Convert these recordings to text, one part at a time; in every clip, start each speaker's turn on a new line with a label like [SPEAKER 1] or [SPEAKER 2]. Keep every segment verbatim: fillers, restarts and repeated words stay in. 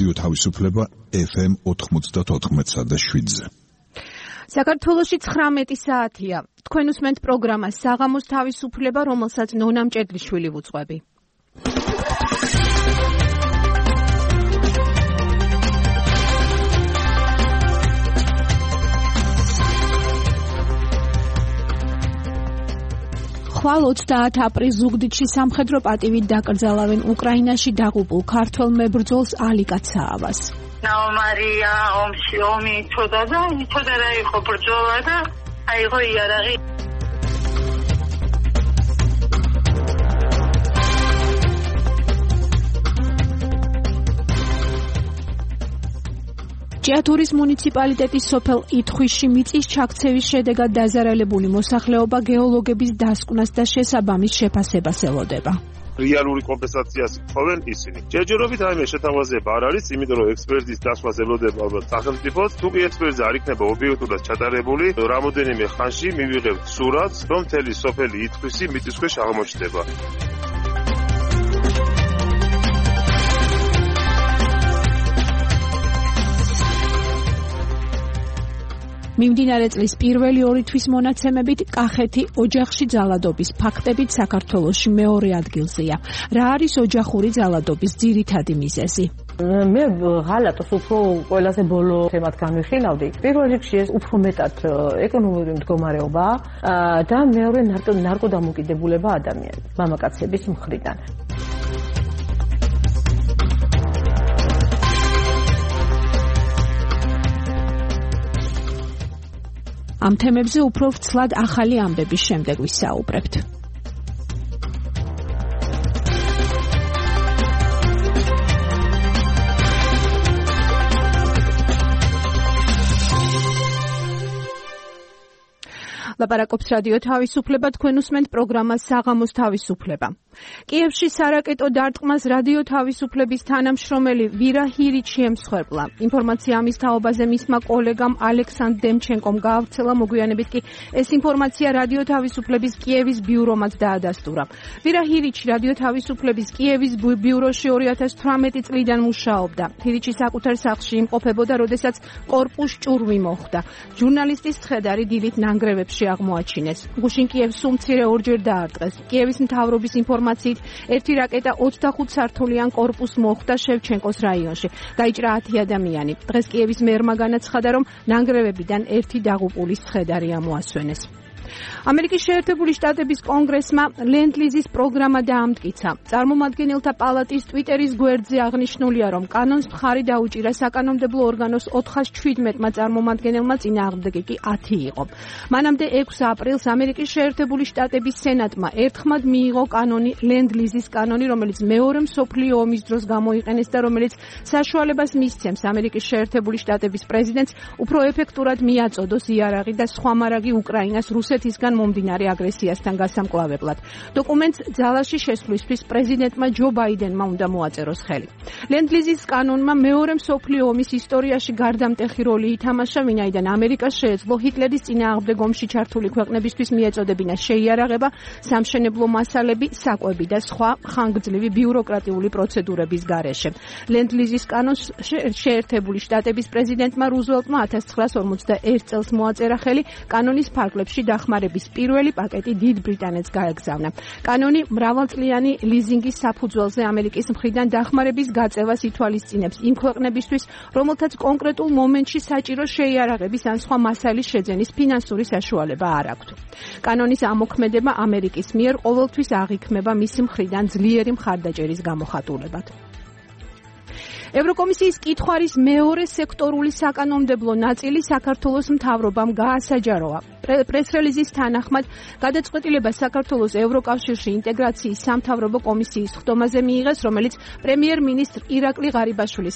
[SPEAKER 1] რადიო თავისუფლება ეფ ემ ოთხმოცდაოთხ და შვიდზე.
[SPEAKER 2] საქართველოში ცხრამეტი საათია. თქვენ უსმენთ პროგრამას საღამოს თავისუფლება, რომელსაც ნონა მჭედლიშვილი ვუძღვები. ხვალ ოცდაათი აპრილს ზუგდიდში სამხედრო პატივით დაკრძალავენ უკრაინაში დაღუპულ ქართველ მებრძოლს ალიკა ცაავას.
[SPEAKER 3] ნაომარია ომში ომი იცოდა და იცოდა რა იყო ბრძოლა და აიღო იარაღი.
[SPEAKER 2] ჭიათურის მუნიციპალიტეტის სოფელ ითხვისში მიწის ჩაქცევის შედეგად დაზარალებული მოსახლეობა გეოლოგების დასკვნას და შესაბამის შეფასებას ელოდება.
[SPEAKER 4] რეალური კომპენსაციას ხოვენ ისინი. ჯერჯერობით აიმე შეთავაზება არ არის, იმიტომ რომ ექსპერტის დასკვას ელოდება ალბათ სახელმწიფოს. თუ კი ექსპერტიზა არ იქნება ობიექტურად ჩატარებული, რამოდენიმე ხანში მივიღებთ სურათს, რომ მთელი სოფელი ითხვისი მიწისქვეშ აღმოჩნდება.
[SPEAKER 2] მიმდინარე წლის პირველი ორი თვის მონაცემებით კახეთი ოჯახში ძალადობის ფაქტებით საქართველოში მეორე ადგილზეა. რა არის ოჯახური ძალადობის ძირითადი მიზეზი?
[SPEAKER 5] მე ღალატოს უფრო ყველაზე ბოლო თემად განვიხილავდი. პირველ რიგში ეს უფრო მეტად ეკონომიკური მდგომარეობა და მეორე ნარკოდამოკიდებულება ადამიანის, მამაკაცების მხრიდან.
[SPEAKER 2] ამ თემებზე უფრო ვრცლად ახალი ამბების შემდეგ ვისაუბრებთ. ლაპარაკობს რადიო თავისუფლება, თქვენ უსმენთ პროგრამას საღამოს თავისუფლება. კიევში სარაკეტო დარტყმას რადიო თავისუფლების თანამშრომელი ვირა ჰირიჩი ემსხვერპლა. ინფორმაცია ამის თაობაზე მისმა კოლეგამ ალექსანდრ დემჩენკომ გაავრცელა, მოგვიანებით კი ეს ინფორმაცია რადიო თავისუფლების კიევის ბიურომაც დაადასტურა. ვირა ჰირიჩი რადიო თავისუფლების კიევის ბიუროში ორი ათას თვრამეტი წლიდან მუშაობდა. ჰირიჩი საკუთარ სახლში იმყოფებოდა, როდესაც კორპუს ჭურვი მოხდა. ჟურნალისტის ცხედარი დილით ნანგრევებში აღმოაჩინეს. გუშინ კიევს უმცირე ორჯერ დაარტყეს. კიევის მთავრობის ინფორმაციით ერთი რაკეტა ოცდახუთ სართულიან კორპუსს მოხვდა შევჩენკოს რაიონში. დაიჭრა ათი ადამიანი. დღეს კიევის მერმა განაცხადა, რომ ნანგრევებიდან ერთი დაღუპულის ცხედარი ამოასვენეს. ამერიკის შეერთებული შტატების კონგრესმა ლენდ-ლიზის პროგრამა დაამტკიცა. წარმომადგენელთა პალატის ტვიტერის გვერდზე აღნიშნულია, რომ კანონს მხარი დაუჭირა საკანონმდებლო ორგანოს ოთხას ჩვიდმეტმა წარმომადგენელმა, წინააღმდეგი კი ათი იყო. მანამდე ექვსი აპრილს ამერიკის შეერთებული შტატების სენატმა ერთხმად მიიღო კანონი ლენდ-ლიზის კანონი, რომელიც მეორე მსოფლიო ომის დროს გამოიყენეს და რომელიც საშუალებას მისცემს ამერიკის შეერთებული შტატების პრეზიდენტს უფრო ეფექტურად მიაწოდოს იარაღი და სხვა მარაგი უკრაინას რუსეთისგან მომდინარე აგრესიასთან გასამკლავებლად. დოკუმენტს ძალაში შესვლისთვის პრეზიდენტმა ჯო ბაიდენმა უნდა მოაწეროს ხელი. ლენდ-ლიზის კანონმა მეორე მსოფლიო ომის ისტორიაში გარდამტეხი როლი ითამაშა, ვინაიდან ამერიკას შეეძლო ჰიტლერის წინააღმდეგ ომში ჩართული ქვეყნებისთვის მიეწოდებინა შეიარაღება, სამშენებლო მასალები, საკვები და სხვა ხანგრძლივი ბიუროკრატიული პროცედურების გარეშე. ლენდ-ლიზის კანონს შეერთებული შტატების პრეზიდენტმა რუზველტმა ათას ცხრაას ორმოცდაერთ წელს მოაწერა ხელი. კანონის ფარგლებში დახმარების პირველი პაკეტი დიდ ბრიტანეთს გაეგზავნა. კანონი მრავალწლიანი ლიზინგის საფუძველზე ამერიკის მხრიდან დახმარების გაწევას ითვალისწინებს იმ ქვეყნებისთვის, რომელთაც კონკრეტულ მომენტში საჭირო შეიარაღების ან სხვა მასალის შეძენის ფინანსური საშუალება არ აქვთ. კანონის ამოქმედება ამერიკის მიერ ყოველთვის აღიქმება მისი მხრიდან ძლიერი მხარდაჭერის გამოხატულებად. ევროკომისიის კითხვარის მეორე სექტორული საკანონმდებლო ნაწილი საქართველოს მთავრობამ გაასაჯაროა. პრეს-რელიზის თანახმად გადაწყვეტილება საქართველოს ევროკავშირში ინტეგრაციის სამთავრობო კომისიის ხდომაზე მიიღეს, რომელიც პრემიერ-მინისტრ ირაკლი ღარიბაშვილის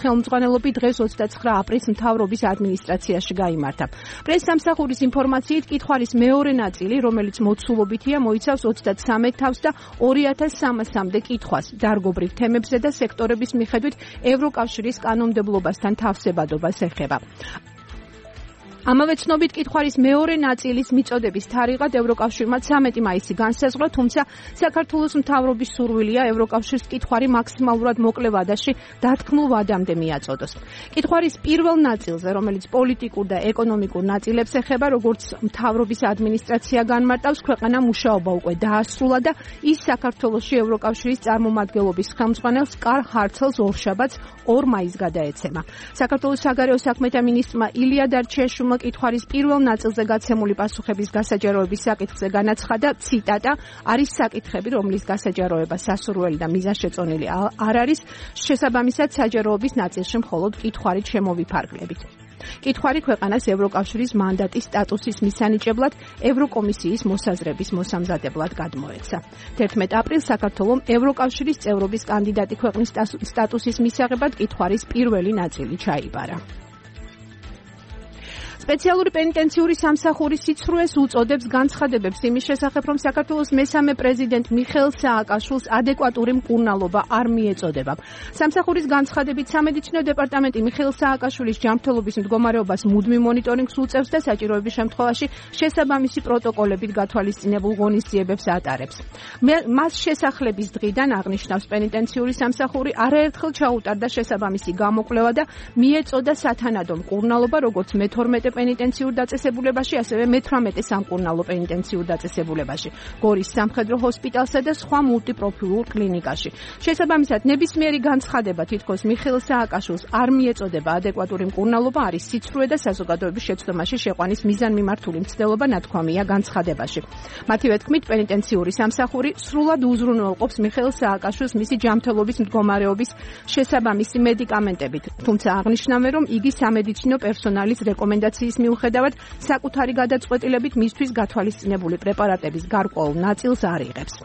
[SPEAKER 2] ხელმძღვანელობით დღეს ოცდაცხრა აპრილს მთავრობის ადმინისტრაციაში გაიმართა. პრეს-სამსახურის ინფორმაციით კითხვარის მეორე ნაწილი, რომელიც მოცულობითია, მოიცავს ოცდათსამეტ თავს და ორი ათას სამასამდე კითხვას დარგობრივ თემებზე და სექტორების მიხედვით ევროკავშირის კანონმდებლობასთან თავსებადობას ეხება. ამავე ცნობით კითხვარის მეორე ნაწილის მიწოდების თარიღად ევროკავშირმა ცამეტი მაისი განსაზღვრა, თუმცა საქართველოს მთავრობის სურვილია ევროკავშირს კითხვარი მაქსიმალურად მოკლე ვადაში დათქმულ ვადამდე მიაწოდოს. კითხვარის პირველ ნაწილზე, რომელიც პოლიტიკურ და ეკონომიკურ ნაწილებს ეხება, როგორც მთავრობის ადმინისტრაცია განმარტავს, ქვეყანა მუშაობა უკვე დაასრულა და ის საქართველოში ევროკავშირის წარმომადგენლობის ხელმძღვანელს კარლ ჰარცელს ორშაბათს ორ მაისს გადაეცემა. საქართველოს საგარეო საქმეთა მინისტრმა ილია დარჩიაშვილმა კითხვარის პირველ ნაწილზე გაცემული პასუხების გასაჯაროების საკითხზე განაცხადა, ციტატა, არის საკითხები, რომლის გასაჯაროება სასურველი და მიზანშეწონილი არ არის, შესაბამისად საჯაროების ნაწილში მხოლოდ კითხვარით შემოვიფარგლებით. კითხვარი ქვეყანას ევროკავშირის მანდატის სტატუსის მისანიჭებლად ევროკომისიის მოსაზრების მოსამზადებლად გადმოეცა. თერთმეტ აპრილს საქართველომ ევროკავშირის წევრობის კანდიდატი ქვეყნის სტატუსის მისაღებად კითხვარის პირველი ნაწილი ჩაიბარა. სპეციალური პენიტენციური სამსახური სიცრუეს უწოდებს განცხადებებს იმის შესახებ, რომ საქართველოს მესამე პრეზიდენტ მიხეილ სააკაშვილს ადეკვატური მკურნალობა არ მიეწოდება. სამსახურის განცხადებით სამედიცინო დეპარტამენტი მიხეილ სააკაშვილის ჯანმრთელობის მდგომარეობას მუდმივ მონიტორინგს უწევს და საჭიროების შემთხვევაში შესაბამისი პროტოკოლებით გათვალისწინებულ ღონისძიებებს ატარებს. მას შესახლების დღიდან აღნიშნავს პენიტენციური სამსახური არაერთხელ ჩაუტარდა შესაბამისი გამოკვლევა და მიეწოდა სათანადო მკურნალობა, როგორც მეთორმეტე პენიტენციურ დაწესებულებაში, ასევე მეთვრამეტე სამკურნალო პენიტენციურ დაწესებულებაში, გორის სამხედრო ჰოსპიტალსა და სხვა მულტიპროფილურ კლინიკაში. შესაბამისად, ნებისმიერი განცხადება თითქოს მიხეილ სააკაშვილს არ მიეწოდება ადეკვატური მკურნალობა არის სიცრუე და საზოგადოების შეცდომაში შეყვანის მიზანმიმართული მცდელობა ნათქვამია განცხადებაში. მათივე თქმით, პენიტენციური სამსახური სრულად უზრუნველყოფს მიხეილ სააკაშვილს მისი ჯანმრთელობის მდგომარეობის შესაბამისი მედიკამენტებით, თუმცა აღნიშნავენ, რომ იგი სამედიცინო პერსონალის რეკომენდაციის მიუხედავად საკუთარი გადაწყვეტილებით მისთვის გათვალისწინებული პრეპარატების გარკვეულ ნაწილს არ იღებს.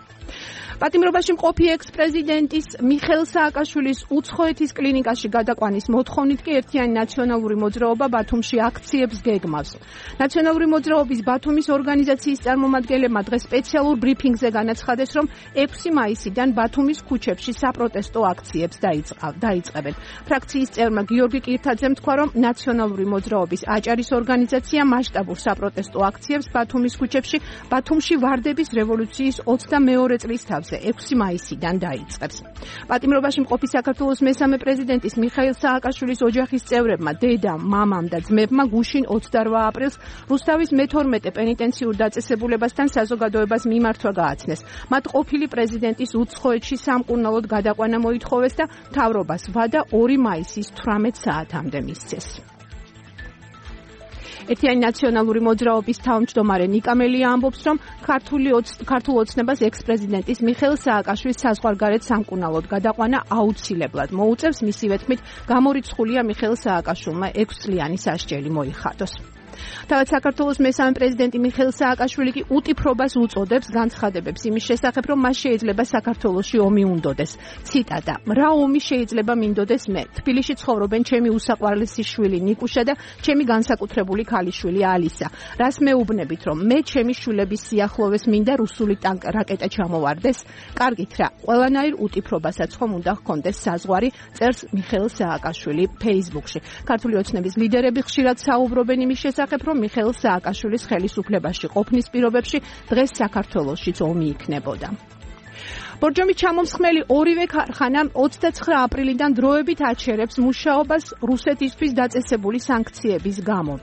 [SPEAKER 2] პატიმრობაში მყოფი ექს-პრეზიდენტის მიხეილ სააკაშვილის უცხოეთის კლინიკაში გადაყვანის მოთხოვნით კი ერთიანი ნაციონალური მოძრაობა ბათუმში აქციებს გეგმავს. ნაციონალური მოძრაობის ბათუმის ორგანიზაციის წარმომადგენლებმა დღეს სპეციალურ ბრიფინგზე განაცხადეს, რომ ექვსი მაისიდან ბათუმის ქუჩებში საპროტესტო აქციებს დაიწყებენ. ფრაქციის წევრმა გიორგი კირთაძემ თქვა, რომ ნაციონალური მოძრაობის აჭარის ორგანიზაცია მასშტაბურ საპროტესტო აქციებს ბათუმის ქუჩებში ბათუმში ვარდების რევოლუციის ოცდამეორე წლის თავზე ექვსი მაისიდან დაიწყებს. პატიმრობაში მყოფი საქართველოს მესამე პრეზიდენტის მიხეილ სააკაშვილის ოჯახის წევრებმა, დედამ, მამამ და ძმებმა გუშინ ოცდარვა აპრილს რუსთავის მეთორმეტე პენიტენციურ დაწესებულებასთან საზოგადოებას მიმართვა გააცნეს. მათ ყოფილი პრეზიდენტის უცხოეთში სამკურნალოდ გადაყვანა მოითხოვეს და მთავრობას ვადა ორი მაისის თვრამეტ საათამდე მისცეს. ერთიანი ნაციონალური მოძრაობის თავმჯდომარე ნიკამელია ამბობს, რომ ქართულ ოცნებას ექს-პრეზიდენტის მიხეილ სააკაშვილის საზღვარგარეთ სამკურნალოდ გადაყვანა აუცილებლად მოუწევს, მისივე თქმით, გამორიცხულია მიხეილ სააკაშვილმა ექვსწლიანი სასჯელი მოიხადოს. თავად საქართველოს მესამე პრეზიდენტი მიხეილ სააკაშვილი კი უტიფრობას უწოდებს განცხადებებს იმის შესახებ, რომ მას შეიძლება საქართველოში ომი უნდოდეს. ციტატა: რა ომი შეიძლება მინდოდეს მე? თბილისში ცხოვრობენ ჩემი უსაყვარლესი შვილი ნიკუშა და ჩემი განსაკუთრებული ქალიშვილი ალისა. რას მეუბნებით, რომ მე ჩემი შვილების სიახლოვეს მინდა რუსული ტანკ რაკეტა ჩამოვარდეს? კარგით რა, ყველანაირ უტიფრობასაც ხომ უნდა ჰქონდეს საზღვარი, წერს მიხეილ სააკაშვილი Facebook-ში. ქართული ოცნების ლიდერები ხშირად საუბრობენ იმის შესახებ, რომ მიხეილ სააკაშვილის ხელისუფლებაში ყოფნის პირობებში დღეს საქართველოშიც ომი იქნებოდა. ბორჯომის ჩამომსხმელი ორივე ქარხანა ოცდაცხრა აპრილიდან დროებით აჩერებს მუშაობას რუსეთისთვის დაწესებული სანქციების გამო.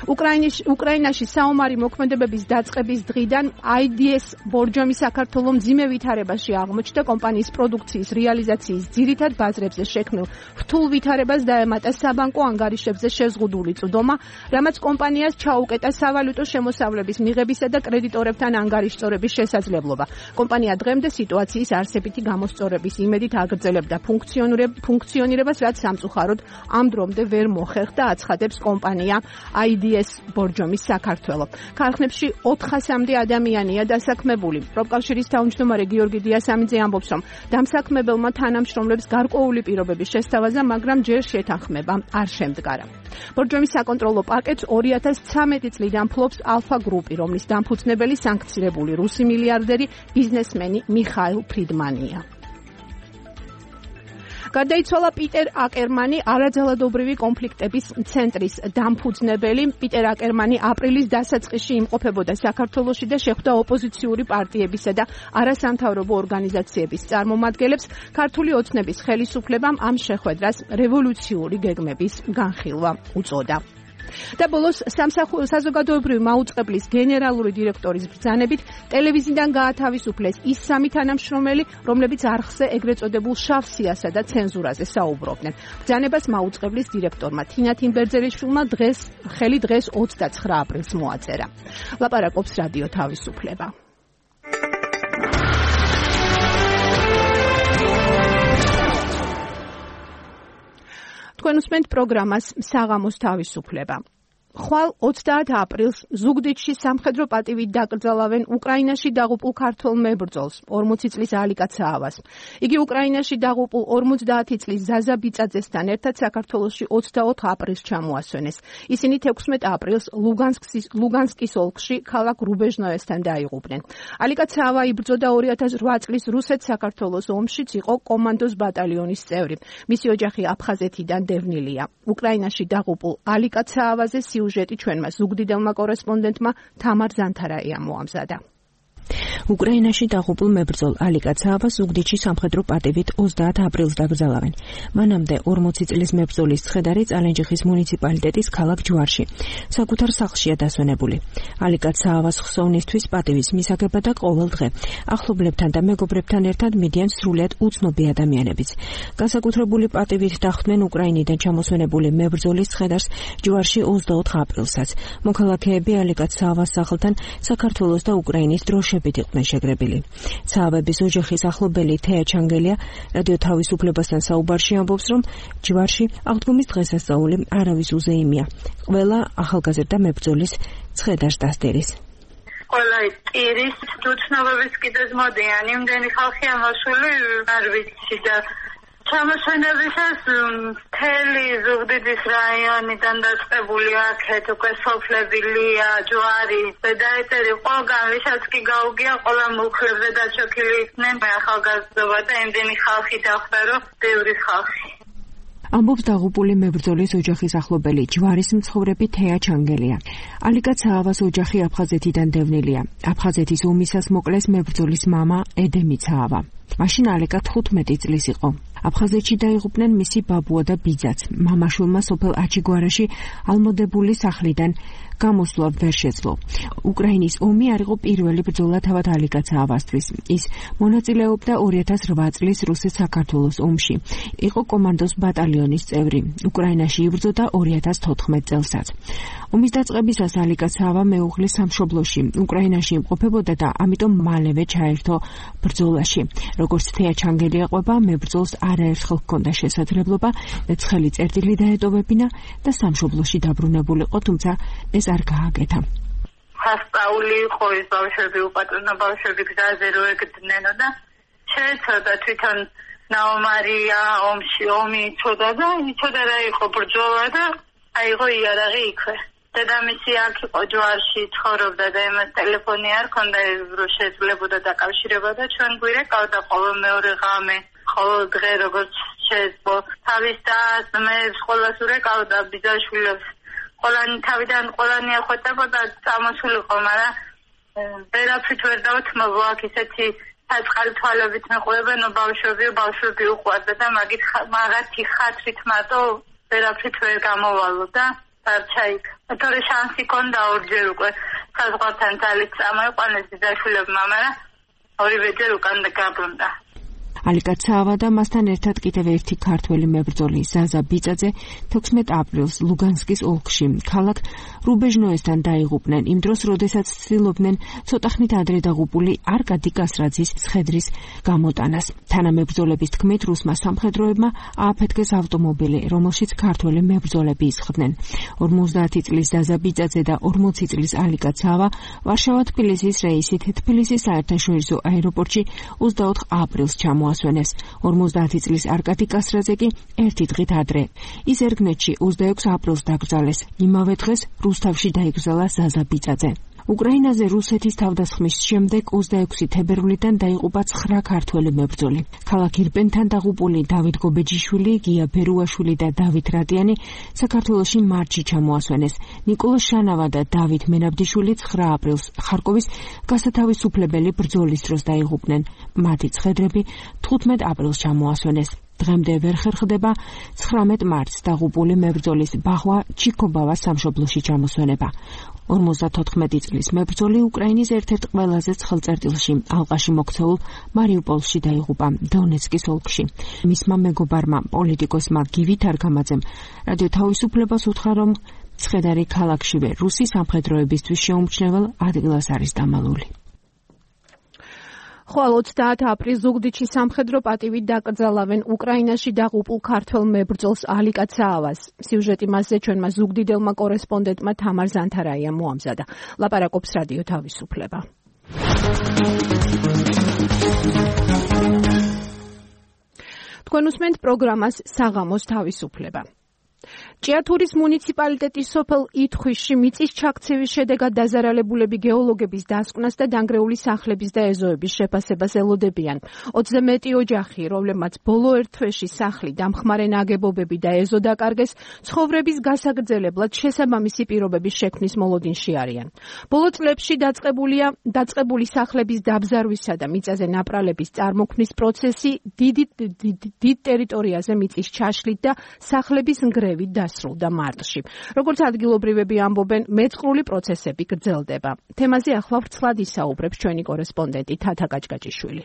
[SPEAKER 2] უკრაინაში საომარი მოქმედებების დაწყების დღიდან აი დი ეს ბორჯომის საქართველოს მძიმე ვითარებაში აღმოჩნდა. კომპანიის პროდუქციის რეალიზაციის ძირითად ბაზრებზე შექმნილ რთულ ვითარებას დაემატა საბანკო ანგარიშებზე შეზღუდული წვდომა, რამაც კომპანიას ჩაუკეტა სავალუტო შემოსავლების მიღებისა და კრედიტორებთან ანგარიშწორების შესაძლებლობა. კომპანია დღემდე სიტუაციის არსებითი გამოსწორების იმედით აგრძელებდა ფუნქციონირებას, რაც სამწუხაროდ ამ დრომდე ვერ მოხერხდა, აცხადებს კომპანია აი დი ეს ბორჯომის საქართველო. ქარხნებში ოთხასამდე ადამიანია დასაქმებული. პროფკავშირის თავმჯდომარე გიორგი დიასამიძე ამბობს, რომ დამსაქმებელმა თანამშრომლებს გარკვეული პირობების შესთავაზა, მაგრამ ჯერ შეთანხმება არ შემდგარა. ბორჯომის საკონტროლო პაკეტს ორი ათას ცხრამეტი წლიდან ფლობს ალფა გრუპი, რომლის დამფუძნებელი სანქცირებული რუსი მილიარდერი ბიზნესმენი მიხაილ ფრიდმანია. გარდაიცვალა პიტერ აკერმანი, არაძალადობრივი კონფლიქტების ცენტრის დამფუძნებელი. პიტერ აკერმანი აპრილის დასაწყისში იმყოფებოდა საქართველოში და შეხვდა ოპოზიციური პარტიებისა და არასამთავრობო ორგანიზაციების წარმომადგენლებს. ქართული ოცნების ხელისუფლებამ ამ შეხვედრას რევოლუციური გეგმების განხილვა უწოდა. და ბოლოს საზოგადოებრივი მაუწყებლის გენერალური დირექტორის ბრძანებით ტელევიზიიდან გაათავისუფლეს ის სამი თანამშრომელი, რომლებიც არხზე ეგრეთ წოდებულ შავ სიასა და ცენზურაზე საუბრობდნენ. ბრძანებას მაუწყებლის დირექტორმა თინა თინბერძელიშვილმა დღეს ხელი დღეს ოცდაცხრა აპრილს მოაწერა. ლაპარაკობს რადიო თავისუფლება. თქვენ უსმენთ პროგრამას საღამოს თავისუფლება. ხვალ ოცდაათ აპრილს ზუგდიდში სამხედრო პატივით დაკრძალავენ უკრაინაში დაღუპულ ქართველ მებრძოლს, ორმოცი წლის ალიკა ცაავას. იგი უკრაინაში დაღუპულ ორმოცდაათი წლის ზაზა ბიწაძესთან ერთად საქართველოში ოცდაოთხ აპრილს ჩამოასვენეს. ისინი თექვსმეტ აპრილს ლუგანსკის ლუგანსკის ოლქში ქალაქ რუბეჟნოესთან დაიღუპნენ. ალიკა ცაავა იბრძოდა ორი ათას რვა წლის რუსეთ-საქართველოს ომშიც, იყო კომანდოს ბატალიონის წევრი. მისი ოჯახი აფხაზეთიდან დევნილია. უკრაინაში დაღუპულ ალიკა ცაავაზე სიუჟეტი ჩვენმა ზუგდიდელმა კორესპონდენტმა თამარ ზანთარაიამ მოამზადა.
[SPEAKER 6] უკრაინაში დაღუპულ მებრძოლ ალიკა ცაავას ზუგდიდში სამხედრო პატივით ოცდაათ აპრილს დაკრძალავენ. მანამდე ორმოცი წლის მებრძოლის ცხედარი წალენჯიხის მუნიციპალიტეტის ქალაქ ჯვარში საკუთარ სახლშია დასვენებული. ალიკა ცაავას ხსოვნისთვის პატივის მისაგება და ყოველ დღე ახლობლებთან და მეგობრებთან ერთად მიდიან სრულიად უცნობი ადამიანებიც. განსაკუთრებული პატივით დახვდნენ უკრაინიდან ჩამოსვენებული მებრძოლის ცხედარს ჯვარში ოცდაოთხ აპრილსაც. მოქალაქეები ალიკა ცაავას სახლთან საქართველოს და უკრაინის დროშებით იყვნენ შეგრებილი. ცაავების ოჯახის ახლობელი თეა ჩანგელია რადიო თავისუფლებასთან საუბარში ამბობს, რომ ჯვარში აღდგომის დღესასწაული არავის უზეიმია. ყველა ახალგაზრდა მებრძოლის ცხედარს დასდერის.
[SPEAKER 3] ყველა ტირის უცნობების კიდეც მოდიან, იმდენი ხალხია მოსული, არ ვიცი და ჩამოსვენებისას მთელი ზუგდიდის რაიონიდან დაწყებული აქეთ უკვე სოფლებილია, ჯვარი, ზედაეტერი, ყველგან ვისაც კი გაუგია, ყველა მუხლებზე დაჩოქილი იქნენ ახალგაზრდობა და იმდენი ხალხი დახვდა, რომ ბევრი ხალხი.
[SPEAKER 6] ამბობს დაღუპული მებრძოლის ოჯახის ახლობელი ჯვარის მცხოვრები თეა ჩანგელია. ალიკა ცაავას ოჯახი აფხაზეთიდან დევნილია. აფხაზეთის ომისას მოკლეს მებრძოლის მამა ედემი ცაავა. მაშინ ალიკა თხუთმეტი წლის იყო. აფხაზეთში დაიღუპნენ მისი ბაბუა და ბიძაც. მამაშვილმა სოფელ აჩიგვარაში ალმოდებული სახლიდან გამოსვლა ვერ შეძლო. უკრაინის ომი არ იყო პირველი ბრძოლა თავად ალიკა ცაავასთვის. ის მონაწილეობდა ორი ათას რვა წლის რუსეთ-საქართველოს ომში. იყო კომანდოს ბატალიონის წევრი. უკრაინაში იბრძოდა ორი ათას თოთხმეტ წელსაც. ომის დაწყებისას ალიკა ცაავა მეუღლის სამშობლოში უკრაინაში იმყოფებოდა და ამიტომ მალევე ჩაერთო ბრძოლაში. როგორც თეა ჩანგელია ყვება, მებრძოლს არაერთხელ ჰქონდა შესაძლებლობა ცხელი წერტილი დაეტოვებინა და სამშობლოში დაბრუნებულიყო, თუმცა ეს არ გააკეთა.
[SPEAKER 3] სასწაული იყო ის ბავშვები, უპატრონო ბავშვები გზაზე რო ეგდნენო და შეეცოდა თვითონ ნაომარია ომში ომი იცოდა და იცოდა რა იყო ბრძოლა და აიღო იარაღი იქვე. დედამისი აქ იყო ჯვარში ცხოვრობდა და იმას ტელეფონი არ ჰქონდა, რო შეძლებოდა დაკავშირება და ჩვენ გვირეკავდა ყოველ მეორე ღამე, ყოველ დღე როგორც შეეძლო. თავის დას, მებს, ყველას ურეკავდა, ბიძაშვილებს. ყველანი თავიდან ყველანი ეხვეწებოდა, წამოსულიყო, მაგრამ ვერაფრით ვერ დავთმობ, აქ ისეთი საწყალი თვალებით მეყვებენ, ბავშვები, ბავშვები უყვარდა და მაგით მაგათი ხათრით მარტო ვერაფრით ვერ გამოვალო და არჩაიქ. თორე შანსი ქონდა ორჯერ უკვე საზღვართან ძალით წამოიყვანეს ბიძაშვილებმა, მაგრამ ორივეჯერ უკან გაბრუნდა.
[SPEAKER 6] ალიკა ცაავა და მასთან ერთად კიდევ ერთი ქართველი მებრძოლი ზაზა ბიწაძე თექვსმეტ აპრილს ლუგანსკის ოლქში ქალაქ რუბეჟნოესთან დაიღუპნენ, იმ დროს, როდესაც ცდილობდნენ ცოტახნით ადრე დაღუპული არკადი კასრაძის ცხედრის გამოტანას. თანამებრძოლების თქმით, რუსმა სამხედროებმა ააფეთქეს ავტომობილი, რომელშიც ქართველი მებრძოლები ისხდნენ. ორმოცდაათი წლის ზაზა ბიწაძე და ორმოცი წლის ალიკა ცაავა ვარშავა-თბილისის რეისით თბილისის საერთაშორისო აეროპორტში ოცდაოთხ აპრილს ჩამოასვენეს. ორმოცდაათი წლის არკადი კასრაძე კი ერთი დღით ადრე. ის ერგნეთში ოცდაექვსი აპრილს დაკრძალეს. იმავე დღეს რუსთავში დაიკრძალა ზაზა ბიწაძე. უკრაინაზე რუსეთის თავდასხმის შემდეგ ოცდაექვსი თებერვლიდან დაიღუპა ცხრა ქართველი მებრძოლი. ქალაქ ირპენთან დაღუპული დავით გობეჯიშვილი, გია ბერუაშვილი და დავით რატიანი საქართველოში მარტში ჩამოასვენეს. ნიკოლო შანავა და დავით მენაბდიშვილი ცხრა აპრილს ხარკოვის გასათავისუფლებელი ბრძოლის დროს დაიღუპნენ. მათი ცხედრები თხუთმეტ აპრილს ჩამოასვენეს. დღემდე ვერ ხერხდება ცხრამეტ მარტს დაღუპული მებრძოლის ბახვა ჩიკობავას სამშობლოში ჩამოსვენება. ორმოცდათოთხმეტი წლის მებრძოლი უკრაინის ერთ-ერთ ყველაზე ცხელ წერტილში ალყაში მოქცეულ მარიუპოლში დაიღუპა დონეცკის ოლქში. მისმა მეგობარმა პოლიტიკოსმა გივით არგამაძემ რადიო თავისუფლებას უთხრა, რომ ცხედარი ქალაქშივე რუსი სამხედროებისთვის შეუმჩნევალ ადგილას არის დამალული.
[SPEAKER 2] ხვალ ოცდაათი აპრილს ზუგდიდში სამხედრო პატივით დაკრძალავენ უკრაინაში დაღუპულ ქართველ მებრძოლს ალიკა ცაავას. სიუჟეტი მასზე ჩვენმა ზუგდიდელმა კორესპონდენტმა თამარ ზანთარაიამ მოამზადა. ლაპარაკობს რადიო თავისუფლება. თქვენ უსმენთ პროგრამას საღამოს თავისუფლება. ჭიათურის მუნიციპალიტეტის სოფელ ითხვისში მიწის ჩაქცევის შედეგად დაზარალებულები გეოლოგების დასკვნას და დანგრეული სახლების და ეზოების შეფასებას ელოდებიან. ოცზე მეტი ოჯახი, რომლებმაც ბოლო ერთ თვეში სახლი, დამხმარე ნაგებობები და ეზო დაკარგეს, ცხოვრების გასაგრძელებლად შესაბამისი პირობების შექმნის მოლოდინში არიან. ბოლო წლებში დაწყებულია დაწყებული სახლების დაბზარვისა და მიწაზე ნაპრალების წარმოქმნის პროცესი დიდ დიდ ტერიტორიაზე მიწის ჩაშლით და სახლების ნგრევით დასრულდა მარტში. როგორც ადგილობრივები ამბობენ, მეწყრული პროცესები გრძელდება. თემაზე ახლა ვრცლად ისაუბრებს ჩვენი კორესპონდენტი თათა კაჭკაჭიშვილი.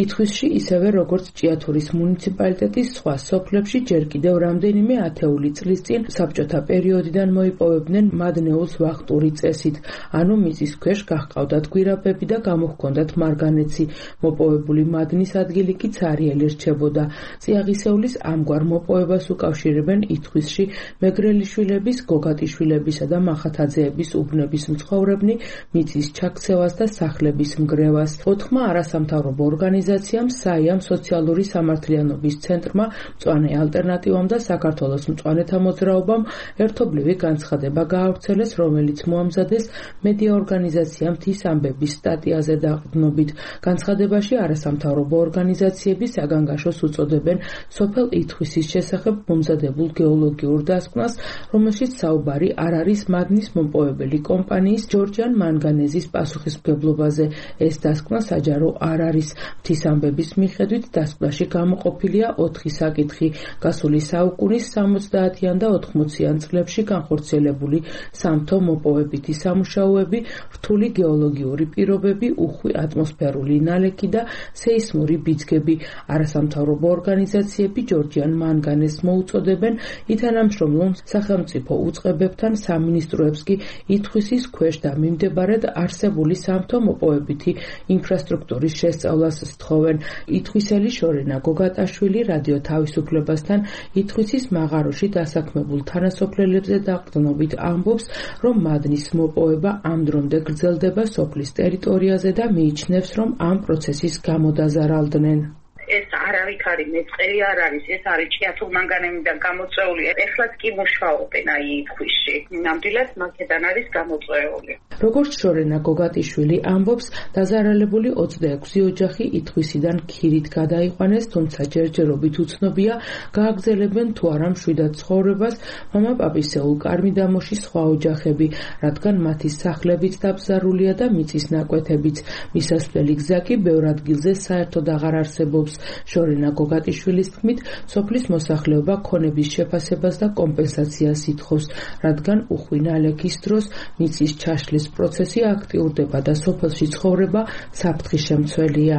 [SPEAKER 7] ითხვისში ისევე როგორც ჭიათურის მუნიციპალიტეტის სხვა სოფლებში ჯერ კიდევ რამდენიმე ათეული წლის წინ საბჭოთა პერიოდიდან მოიპოვებდნენ მადნეულს ვახტური წესით, ანუ მიწის ქვეშ გაჰყავდათ გვირაბები და გამოჰქონდათ მარგანეცი. მოპოვებული მადნის ადგილი კი ცარიელი რჩებოდა. წიაღისეულის ამგვარ მოპოვებას უკავშირებენ ითხვისში მეგრელიშვილების, გოგატიშვილებისა და მახათაძეების უბნების მცხოვრებნი, მიწის ჩაქცევას და სახლების მგრევას. ოთხმა არასამთავრობო ორგანიზაციამ, საიამ, სოციალური სამართლიანობის ცენტრმა, მწვანე ალტერნატივამ და საქართველოს მწვანეთა მოძრაობამ ერთობლივი განცხადება გაავრცელეს, რომელიც მოამზადეს მედია ორგანიზაცია მთის ამბების სტატიაზე დაყრდნობით. განცხადებაში არასამთავრობო ორგანიზაციები საგანგაშოს უწოდებენ სოფელ ითხვისის შესახებ მომზადებულ გეოლოგიურ დასკვნას, რომელშიც საუბარი არ არის მადნის მომპოვებელი კომპანიის ჯორჯიან მანგანეზის პასუხისმგებლობაზე. ეს დასკვნა საჯარო არ არის. მთის ამბების მიხედვით დასკვნაში გამოყოფილია ოთხი საკითხი: გასული საუკუნის სამოცდაათიან და ოთხმოციან წლებში განხორციელებული სამთო მოპოვებითი სამუშაოები, რთული გეოლოგიური პირობები, უხვი ატმოსფერული ნალექი და სეისმური ბიძგები. არასამთავრობო ორგანიზაციები ჯორჯიან მანგანეზს მოუწოდებენ ითანამშრომლონ სახელმწიფო უწყებებთან, სამინისტროებს კი ითხვისის ქვეშ და მიმდებარედ არსებული სამთო მოპოვებითი ინფრასტრუქტურის შესწავლას სთხოვენ. ითხვისელი შორენა გოგატაშვილი რადიო თავისუფლებასთან ითხვისის მაღაროში დასაქმებულ თანასოფლელებზე დაყრდნობით ამბობს, რომ მადნის მოპოვება ამ დრომდე გრძელდება სოფლის ტერიტორიაზე და მიიჩნევს, რომ ამ პროცესის გამო დაზარალდნენ.
[SPEAKER 3] ეს არავითარი მეწყერი არ არის, ეს არის ჭიათურმანგანემიდან გამოწვეული. ეხლაც კი მუშაობენ აი ითხვისში. ნამდვილად მაქედან არის გამოწვეული.
[SPEAKER 7] როგორც შორენა გოგატიშვილი ამბობს, დაზარალებული ოცდაექვსი ოჯახი ითხვისიდან ქირით გადაიყვანეს, თუმცა ჯერჯერობით უცნობია, გააგრძელებენ თუ არა მშვიდად ცხოვრებას მამაპაპისეულ კარმიდამოში სხვა ოჯახები, რადგან მათი სახლებიც დაბზარულია და მიწის ნაკვეთებიც. მისასვლელი გზა კი ბევრ ადგილზე საერთოდ აღარ არსებობს. შორენა გოგატიშვილის თქმით, სოფლის მოსახლეობა ქონების შეფასებას და კომპენსაციას ითხოვს, რადგან უხვი ნალექის დროს მიწის ჩაშლის პროცესი აქტიურდება და სოფელში ცხოვრება საფრთხის შემცველია.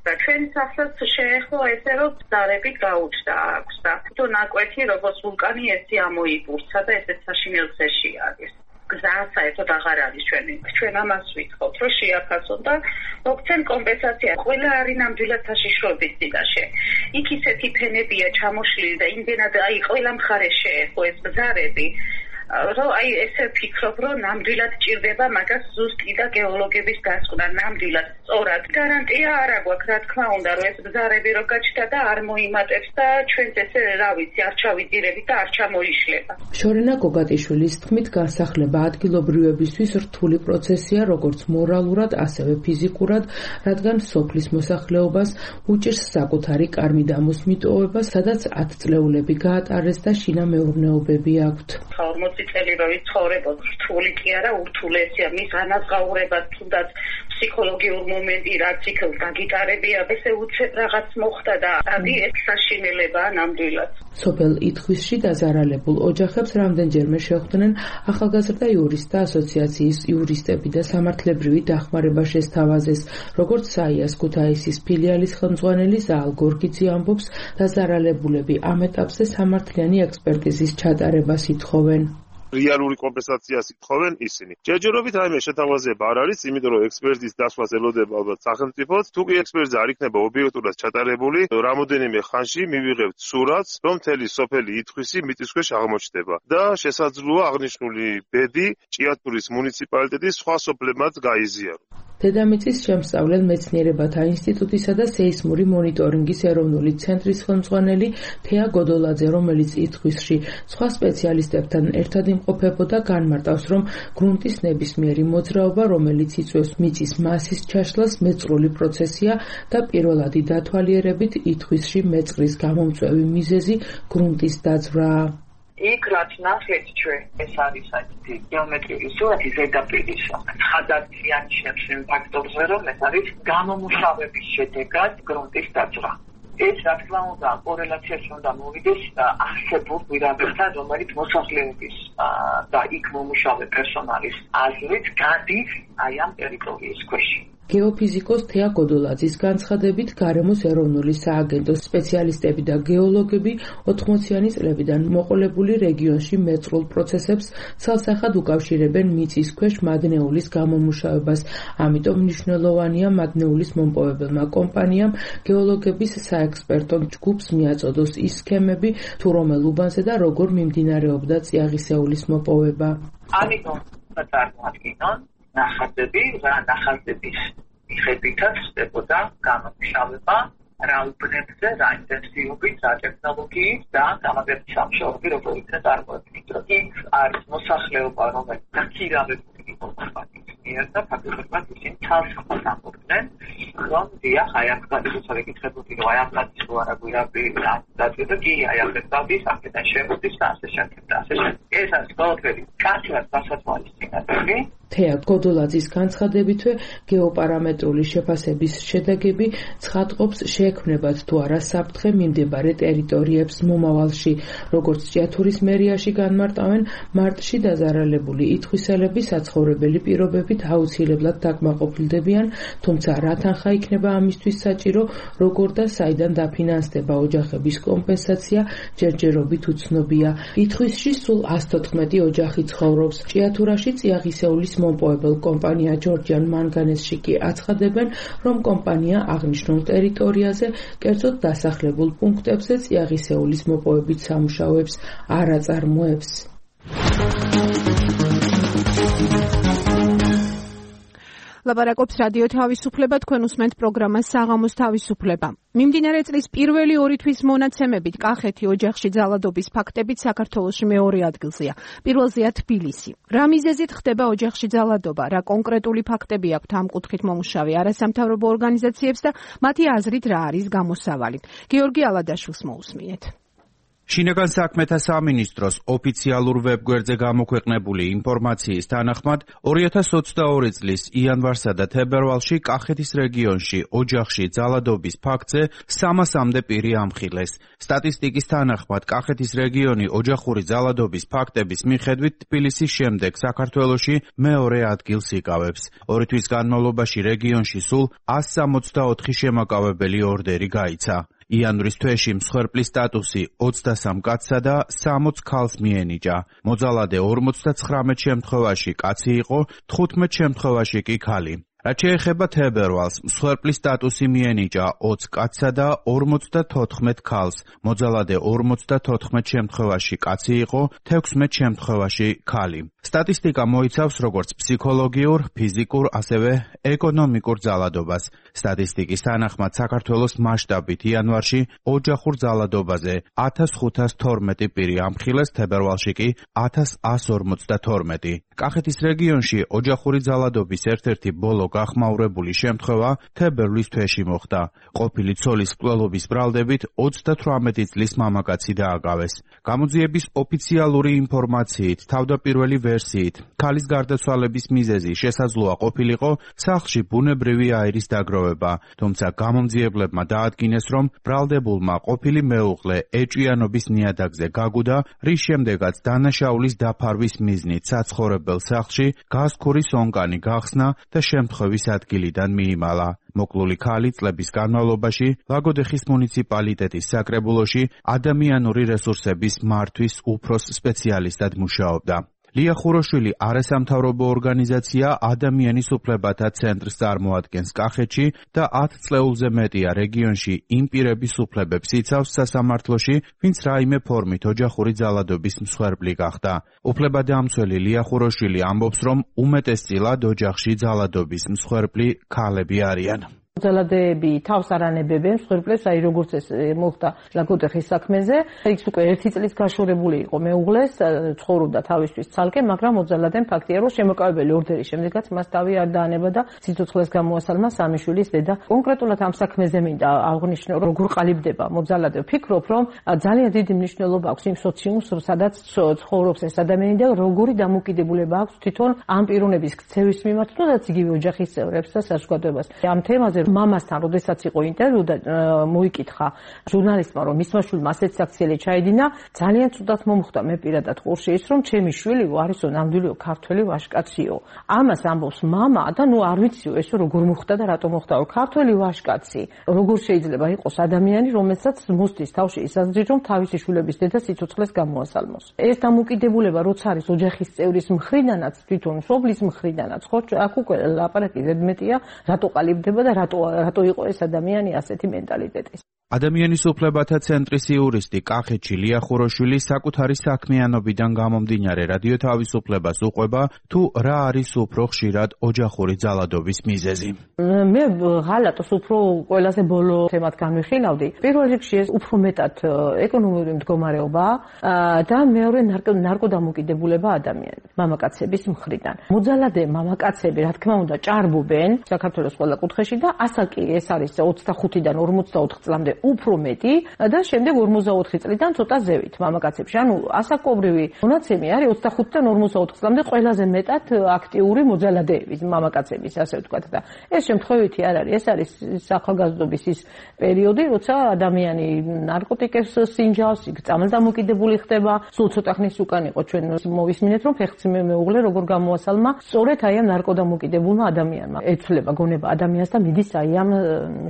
[SPEAKER 3] ჩვენ სახლს შეეხო ესე რომ ზარებით გაუჩნდა აქვს და თუ ნაკვეთი როგორც ვულკანი ესე ამოიბურცა და ესე საშინელ გზაში არის. გზა საერთოდ აღარ არის ჩვენი. ჩვენ ამას ვითხოვთ, რომ შეაფასონ და მოგცენ კომპენსაცია. ყველა არის ნამდვილად საშიშროების წინაშე. იქ ისეთი ფენებია ჩამოშლილი და იმდენად აი ყველა მხარე შეეხო ეს ბზარები. რომ აი ესე ფიქრობ, რომ ნამდვილად ჭირდება მაგას ზუსტი და გეოლოგების დასკვნა, ნამდვილად სწორად. გარანტია არ აქვს, რა თქმა უნდა, რომ ეს ბზარები რო გაჩნდა და არ მოიმატებს და ჩვენც ესე, რა ვიცი, არ ჩავიძირებით და არ ჩამოიშლება.
[SPEAKER 7] შორენა გოგატიშვილის თქმით, განსახლება ადგილობრივებისთვის რთული პროცესია, როგორც მორალურად, ასევე ფიზიკურად, რადგან სოფლის მოსახლეობას უჭირს საკუთარი კარმიდამოს მიტოვება, სადაც ათწლეულები გაატარეს და შინამეურნეობები აქვთ.
[SPEAKER 3] ორმოცი წელი რო ვიცხოვრებოდ, რთული კი არა, ურთულესია, მის განაზღაურებას თუნდაც ფსიქოლოგიურ მომენტი, რაც იქ გაგიტარებია, ესე უცებ რაღაც მოხდა და ადი ეს საშინელებაა ნამდვილად.
[SPEAKER 7] სოფელ ითხვისში დაზარალებულ ოჯახებს რამდენჯერმე შეხვდნენ ახალგაზრდა იურისტთა ასოციაციის იურისტები და სამართლებრივი დახმარება შესთავაზეს, როგორც საიას ქუთაისის ფილიალის ხელმძღვანელი ზაალ გორგიძე ამბობს, დაზარალებულები ამ ეტაპზე სამართლიანი ექსპერტიზის ჩატარებას ითხოვენ.
[SPEAKER 4] რეალური კომპენსაციას ითხოვენ ისინი. ჯერჯერობით რაიმე შეთავაზება არ არის, იმიტომ რომ ექსპერტის დასვას ელოდება ალბათ სახელმწიფოც. თუ კი ექსპერტიზა არ იქნება ობიექტურად ჩატარებული, რამოდენიმე ხანში მივიღებთ სურათს, რომ მთელი სოფელი ითხვისი მიწისქვეშ აღმოჩნდება და შესაძლოა აღნიშნული ბედი ჭიათურის მუნიციპალიტეტის სხვა სოფლებმაც გაიზიაროს.
[SPEAKER 7] დედამიწის შემსწავლელ მეცნიერებათა ინსტიტუტისა და სეისმური მონიტორინგის ეროვნული ცენტრის ხელმძღვანელი თეა გოდოლაძე, რომელიც ითხვისში სხვა სპეციალისტებთან ერთად იმყოფებოდა, განმარტავს, რომ გრუნტის ნებისმიერი მოძრაობა, რომელიც იწვევს მიწის მასის ჩაშლას, მეწყრული პროცესია და პირველადი დათვალიერებით ითხვისში მეწყრის გამომწვევი მიზეზი გრუნტის დაძვრაა.
[SPEAKER 8] იქ რაც ნახეთ ჩვენ, ეს არის ასეთი გეომეტრიული სურათი ზედაპირის ხაზარდიანიშებს იმ ფაქტორზე, რომ ეს არის გამომუშავების შედეგად გრუნტის დაძვრა. ეს რა თქმა უნდა კორელაციაში უნდა მოვიდეს არსებულ პირობებთან, რომელიც მოსახლეობის და იქ მომუშავე პერსონალის აზრით გადის აი ამ ტერიტორიის ქვეშ.
[SPEAKER 7] გეოფიზიკოს თეა გოდოლაძის განცხადებით, გარემოს ეროვნული სააგენტოს სპეციალისტები და გეოლოგები ოთხმოციანი წლებიდან მოყოლებული რეგიონში მეწყრულ პროცესებს ცალსახად უკავშირებენ მიწის ქვეშ მადნეულის გამომუშავებას. ამიტომ მნიშვნელოვანია მადნეულის მომპოვებელმა კომპანიამ გეოლოგების საექსპერტო ჯგუფს მიაწოდოს ის სქემები, თუ რომელ უბანზე და როგორ მიმდინარეობდა წიაღისეულის მოპოვება.
[SPEAKER 8] ამიტომ წარმოადგენენ ნახაზები და ნახაზების მიხედვითაც ხდებოდა გამომშავება რა უბნებზე, რა ინტენსივობით, რა ტექნოლოგიით და გამაგრების სამშობლოები როგორ იქნა წარმოქმნილი. იქ არის მოსახლეობა, რომელიც დაქირავებული იყო კომპანიის მიერ და ფაქტობრივად ისინი თავს ამბობდნენ, რომ დიახ, აი აქ გადადის რეკითხებოდი, რომ აი ამ კაცის რო არა გვირაბი დაწვიდა, კი აი ამ კაცის აქედან შემოდის და ასე შემდეგ და ასე შემდეგ. ეს არის ყველაფერი კაცად დასათვალისწინებელი.
[SPEAKER 7] თეა გოდოლაძის განცხადებითვე გეოპარამეტრული შეფასების შედეგები ცხადყოფს შეექმნებათ თუ არა საფრთხე მიმდებარე ტერიტორიებს მომავალში. როგორც ჭიათურის მერიაში განმარტავენ, მარტში დაზარალებული ითხვისელები საცხოვრებელი პირობებით აუცილებლად დაკმაყოფილდებიან, თუმცა რა თანხა იქნება ამისთვის საჭირო, როგორ და საიდან დაფინანსდება ოჯახების კომპენსაცია, ჯერჯერობით უცნობია. ითხვისში სულ ას თოთხმეტი ოჯახი ცხოვრობს. ჭიათურაში წიაღისეულის მომპოვებელ კომპანია ჯორჯიან მანგანესში კი აცხადებენ, რომ კომპანია აღნიშნულ ტერიტორიაზე, კერძოდ დასახლებულ პუნქტებზე წიაღისეულის მოპოვებით სამუშაოებს არ აწარმოებს.
[SPEAKER 2] ლაპარაკობს რადიო თავისუფლება, თქვენ უსმენთ პროგრამას საღამოს თავისუფლება. მიმდინარე წლის პირველი ორი თვის მონაცემებით კახეთი ოჯახში ძალადობის ფაქტებით საქართველოში მეორე ადგილზეა. პირველზეა თბილისი. რა მიზეზით ხდება ოჯახში ძალადობა, რა კონკრეტული ფაქტები აქვთ ამ კუთხით მომუშავე არასამთავრობო ორგანიზაციებს და მათი აზრით რა არის გამოსავალი. გიორგი ალადაშვილს მოусმინეთ.
[SPEAKER 9] შინაგან საქმეთა სამინისტროს ოფიციალურ ვებგვერდზე გამოქვეყნებული ინფორმაციის თანახმად, ორი ათას ოცდაორი წლის იანვარსა და თებერვალში კახეთის რეგიონში ოჯახში ძალადობის ფაქტზე სამასამდე პირი ამხილეს. სტატისტიკის თანახმად, კახეთის რეგიონი ოჯახური ძალადობის ფაქტების მიხედვით თბილისის შემდეგ საქართველოში მეორე ადგილს იკავებს. ორი თვის განმავლობაში რეგიონში სულ ას სამოცდაოთხი შემაკავებელი ორდერი გაიცა. იანვრის თვეში მსხვერპლის სტატუსი ოცდასამ კაცსა და სამოც ქალს მიენიჭა. მოძალადე ორმოცდაცხრამეტ შემთხვევაში კაცი იყო, თხუთმეტ შემთხვევაში კი ქალი. რაც შეეხება თებერვალს, მსხვერპლის სტატუსი მიენიჭა ოცი კაცსა და ორმოცდათოთხმეტ ქალს. მოძალადე ორმოცდათოთხმეტ შემთხვევაში კაცი იყო, თექვსმეტ შემთხვევაში ქალი. სტატისტიკა მოიცავს როგორც ფსიქოლოგიურ, ფიზიკურ, ასევე ეკონომიკურ ძალადობას. სტატისტიკის თანახმად საქართველოს მასშტაბით იანვარში ოჯახურ ძალადობაზე ათას ხუთას თორმეტი პირი ამხილეს, თებერვალში კი ათას ასს ორმოცდათორმეტი. კახეთის რეგიონში ოჯახური ძალადობის ერთ-ერთი ბოლო გახმაურებული შემთხვევა თებერვლის თვეში მოხდა. ყოფილი ცოლის მკვლელობის ბრალდებით ოცდათვრამეტი წლის მამაკაცი დააგავეს. გამოძიების ოფიციალური ინფორმაციით, თავდაპირველი ვერსიით, ქალის გარდაცვალების მიზეზი შესაძლოა ყოფილიყო სახლში ბუნებრივი აირის დაგროვება, თუმცა გამომძიებლებმა დაადგინეს, რომ ბრალდებულმა ყოფილი მეუღლე ეჭვიანობის ნიადაგზე გაგუდა, რის შემდეგაც დანაშაულის დაფარვის მიზნით საცხოვრებელ სახლში გაზქვრის ონკანი გახსნა და შემთხვევის ადგილიდან მიიმალა. მოკლული ქალი წლების განმავლობაში ლაგოდეხის მუნიციპალიტეტის საკრებულოში ადამიანური რესურსების მართვის უფროს სპეციალისტად მუშაობდა. ლია ხუროშვილი არასამთავრობო ორგანიზაცია ადამიანის უფლებათა ცენტრს წარმოადგენს კახეთში და ათ წლეულზე მეტია რეგიონში იმ პირების უფლებებს იცავს სასამართლოში, ვინც რაიმე ფორმით ოჯახური ძალადობის მსხვერპლი გახდა. უფლებადამცველი ლია ხუროშვილი ამბობს, რომ უმეტესწილად ოჯახში ძალადობის მსხვერპლი ქალები არიან.
[SPEAKER 5] ძალადეები თავს არ ანებებენ მსხვერპლებს, აი როგორც ეს მოხდა ლაგოდეხის საქმეზე, იქ უკვე ერთი წლის გაშორებული იყო მეუღლეს, ცხოვრობდა თავისთვის ცალკე, მაგრამ მოძალადემ ფაქტია, რომ შემოკავებელი ორდერის შემდეგაც მას თავი არ დაანება და სიცოცხლეს გამოასალმა სამი შვილის დედა. კონკრეტულად ამ საქმეზე მინდა აღნიშნო, როგორ ყალიბდება მოძალადე. ვფიქრობ, რომ ძალიან დიდი მნიშვნელობა აქვს იმ სოციუმს, სადაც ცხოვრობს ეს ადამიანი და როგორი დამოკიდებულება აქვს თვითონ ამ პიროვნების ქცევის მიმართ, თუნდაც იგივე ოჯახის წევრებს და საზოგადოებას. ამ თემაზე მამასთან როდესაც იყო ინტერვიუ და მოიკითხა ჟურნალისტმა, რომ მისმა შვილმა ასეთ საქციელი ჩაედინა, ძალიან ცუდად მომხვდა მე პირადად ყურში ის, რომ ჩემი შვილი არისო ნამდვილი ქართველი ვაჟკაციო. ამას ამბობს მამა და ნუ არ ვიციო ეს როგორ მოხდა და რატომ მოხდა, რომ ქართველი ვაჟკაცი როგორ შეიძლება იყოს ადამიანი, რომელსაც მოსდის თავში ის აზრი, რომ თავისი შვილების დედა სიცოცხლეს გამოასალმოს. ეს დამოკიდებულება როცა არის ოჯახის წევრის მხრიდანაც, თვითონ მშობლის მხრიდანაც, ხო, აქ უკვე ლაპარაკი ზედმეტია, რატო ყალიბდება და რატო რატო იყო ეს ადამიანი ასეთი მენტალიტეტის.
[SPEAKER 9] ადამიანის უფლებათა ცენტრის იურისტი კახეთში ლია ხუროშვილი საკუთარი საქმიანობიდან გამომდინარე რადიო თავისუფლებას უყვება, თუ რა არის უფრო ხშირად ოჯახური ძალადობის მიზეზი.
[SPEAKER 5] მე ღალატს უფრო ყველაზე ბოლო თემად განვიხილავდი. პირველ რიგში ეს უფრო მეტად ეკონომიკური მდგომარეობა და მეორე ნარკოდამოკიდებულება ადამიანის, მამაკაცების მხრიდან. მოძალადე მამაკაცები, რა თქმა უნდა, ჭარბობენ საქართველოს ყველა კუთხეში და ასაკი ეს არის ოცდახუთიდან ორმოცდაოთხ წლამდე უფრო მეტი და შემდეგ ორმოცდაოთხი წლიდან ცოტა ზევით მამაკაცებში. ანუ ასაკობრივი მონაცემი არის ოცდახუთიდან ორმოცდაოთხ წლამდე ყველაზე მეტად აქტიური მოძალადეების მამაკაცების, ასე ვთქვათ და ეს შემთხვევითი არ არის. ეს არის ახალგაზრდობის ის პერიოდი, როცა ადამიანი ნარკოტიკებს სინჯავს, წამალდამოკიდებული ხდება. სულ ცოტა ხნის უკან იყო ჩვენ მოვისმინეთ, რომ ფეხმძიმე მეუღლე როგორ გამოასალმა სწორედ აი ამ ნარკოდამოკიდებულმა ადამიანმა. ეცვლება გონება ადამიანს და მიდის აი ამ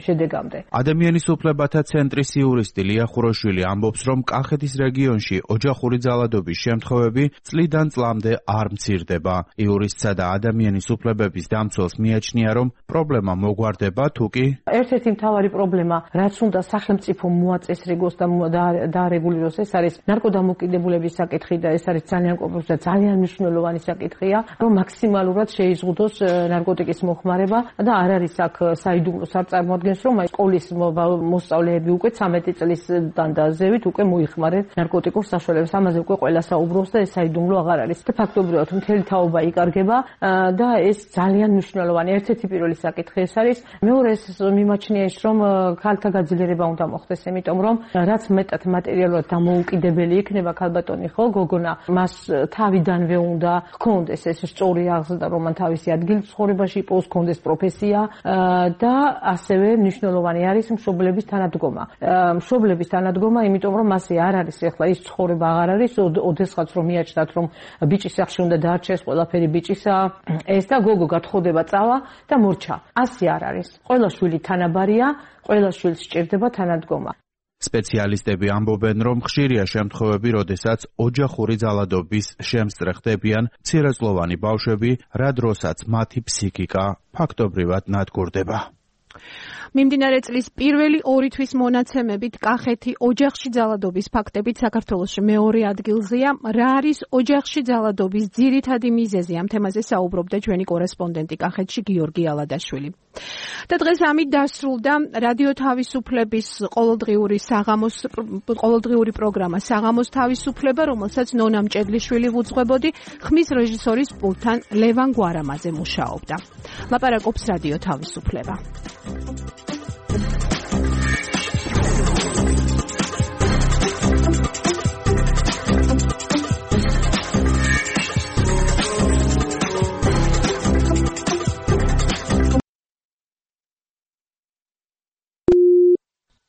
[SPEAKER 5] შედეგამდე.
[SPEAKER 9] ადამიანის უფლებათა ცენტრის იურისტი ლია ხუროშვილი ამბობს, რომ კახეთის რეგიონში ოჯახური ძალადობის შემთხვევები წლიდან წლამდე არ მცირდება. იურისტსა და ადამიანის უფლებების დამცველს მიაჩნია, რომ პრობლემა მოგვარდება, თუ კი
[SPEAKER 5] ერთ-ერთი მთავარი პრობლემა, რაც უნდა სახელმწიფო მოაწესრიგოს და დაარეგულიროს, ეს არის ნარკოდამოკიდებულების საკითხი და ეს არის ძალიან კომპლექსური და ძალიან მნიშვნელოვანი საკითხია, რომ მაქსიმალურად შეიზღუდოს ნარკოტიკის მოხმარება და არ არის აქ საიდუმლოს არ წარმოადგენს, რომ აი სკოლის მოსწავლეები უკვე ცამეტი წლისთან და ზევით უკვე მოიხმარენ ნარკოტიკულ საშუალებებს. ამაზე უკვე ყველა საუბრობს და ეს საიდუმლო აღარ არის. და ფაქტობრივად მთელი თაობა იკარგება და ეს ძალიან მნიშვნელოვანი ერთ-ერთი პირველი საკითხი ეს არის. მეორე ეს მიმაჩნია ის, რომ ქალთა გაძლიერება უნდა მოხდეს, იმიტომ რომ რაც მეტად მატერიალურად დამოუკიდებელი იქნება ქალბატონი, ხო, გოგონა, მას თავიდანვე უნდა ჰქონდეს ეს სწორი აღზრდა, რომ მან თავისი ადგილი ცხოვრებაში იპოვოს, ჰქონდეს პროფესია და ასევე მნიშვნელოვანი არის მშობლების თანადგომა. მშობლების თანადგომა, იმიტომ რომ მასე არ არის ახლა ის ცხოვრება აღარ არის, ოდესღაც რომ მიაჩნდათ, რომ ბიჭის სახში უნდა დაარჩეს ყველაფერი ბიჭისა, ეს და გოგო გათხოვდება წავა და მორჩა. ასე არ არის. ყველა შვილი თანაბარია, ყველა შვილს სჭირდება თანადგომა.
[SPEAKER 9] სპეციალისტები ამბობენ, რომ ხშირია შემთხვევები, როდესაც ოჯახური ძალადობის შემსწრე ხდებიან მცირეწლოვანი ბავშვები, რა დროსაც მათი ფსიქიკა ფაქტობრივად ნადგურდება.
[SPEAKER 2] მიმდინარე წლის პირველი ორი თვის მონაცემებით კახეთი ოჯახში ძალადობის ფაქტებით საქართველოში მეორე ადგილზეა. რა არის ოჯახში ძალადობის ძირითადი მიზეზი? ამ თემაზე საუბრობდა ჩვენი კორესპონდენტი კახეთში გიორგი ალადაშვილი. და დღეს ამით დასრულდა რადიო თავისუფლების ყოველდღიური საღამოს ყოველდღიური პროგრამა საღამოს თავისუფლება, რომელსაც ნონა მჭედლიშვილი ვუძღვებოდი, ხმის რეჟისორის პულტთან ლევან გვარამაძე მუშაობდა. ლაპარაკობს რადიო თავისუფლება.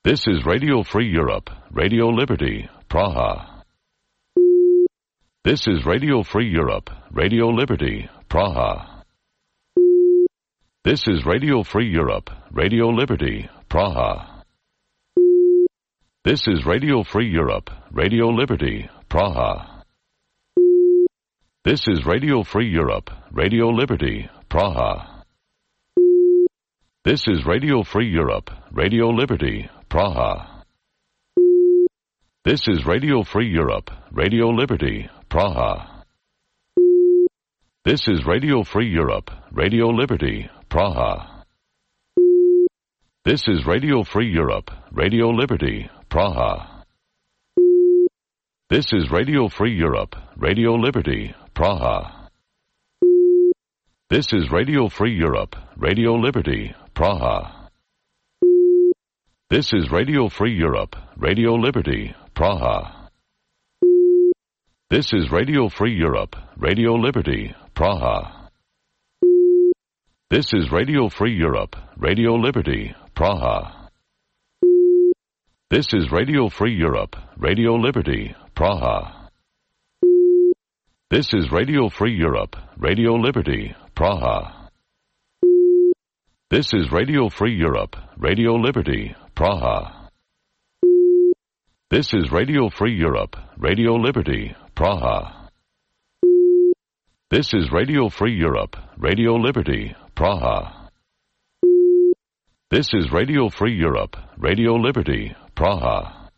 [SPEAKER 10] This is Radio Free Europe, Radio Liberty, Praha. This is Radio Free Europe, Radio Liberty, Praha. This is Radio Free Europe, Radio Liberty, Praha. This is Radio Free Europe, Radio Liberty, Praha. This is Radio Free Europe, Radio Liberty, Praha. This is Radio Free Europe, Radio Liberty, Praha. This is Radio Free Europe, Radio Liberty, Praha. This is Radio Free Europe, Radio Liberty, Praha. This is Radio Free Europe, Radio Liberty, Praha. This is Radio Free Europe, Radio Liberty, Praha. This is Radio Free Europe, Radio Liberty, Praha. This is Radio Free Europe, Radio Liberty, Praha. This is Radio Free Europe, Radio Liberty, Praha. This is Radio Free Europe, Radio Liberty, Praha. This is Radio Free Europe, Radio Liberty, Praha. This is Radio Free Europe, Radio Liberty, Praha. This is Radio Free Europe, Radio Liberty, Praha. This is Radio Free Europe, Radio Liberty, Praha. This is Radio Free Europe, Radio Liberty, Praha. This is Radio Free Europe, Radio Liberty, Praha.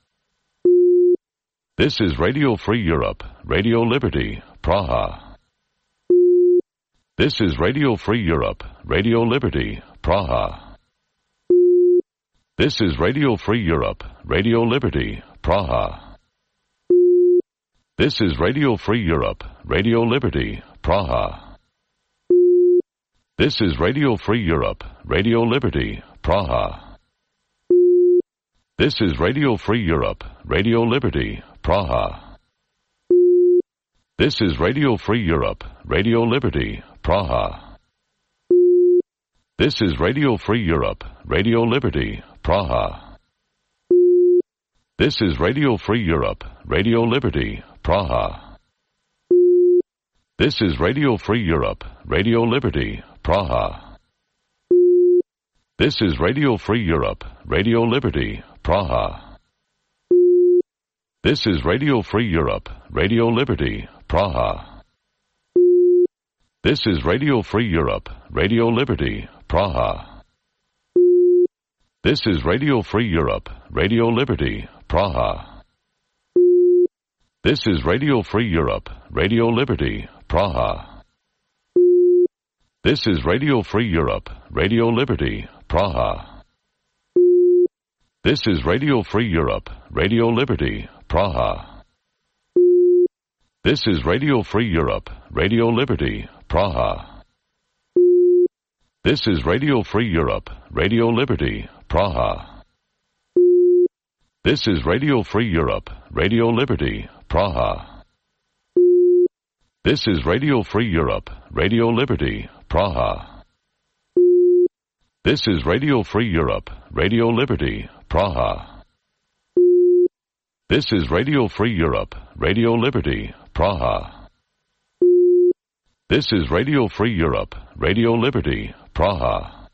[SPEAKER 10] This is Radio Free Europe, Radio Liberty, Praha. This is Radio Free Europe, Radio Liberty, Praha. This is Radio Free Europe, Radio Liberty, Praha. This is Radio Free Europe, Radio Liberty, Praha. This is Radio Free Europe, Radio Liberty, Praha. This is Radio Free Europe, Radio Liberty, Praha. This is Radio Free Europe, Radio Liberty, Praha. This is Radio Free Europe, Radio Liberty, Praha. This is Radio Free Europe, Radio Liberty, Praha. This is Radio Free Europe, Radio Liberty, Praha. This is Radio Free Europe, Radio Liberty, Praha. This is Radio Free Europe, Radio Liberty, Praha. This is Radio Free Europe, Radio Liberty, Praha. This is Radio Free Europe, Radio Liberty, Praha. This is Radio Free Europe, Radio Liberty, Praha. This is Radio Free Europe, Radio Liberty, Praha. This is Radio Free Europe, Radio Liberty, Praha. This is Radio Free Europe, Radio Liberty, Praha. This is Radio Free Europe, Radio Liberty, Praha. This is Radio Free Europe, Radio Liberty, Praha. This is Radio Free Europe, Radio Liberty, Praha. This is Radio Free Europe, Radio Liberty, Praha. This is Radio Free Europe, Radio Liberty, Praha. This is Radio Free Europe, Radio Liberty, Praha.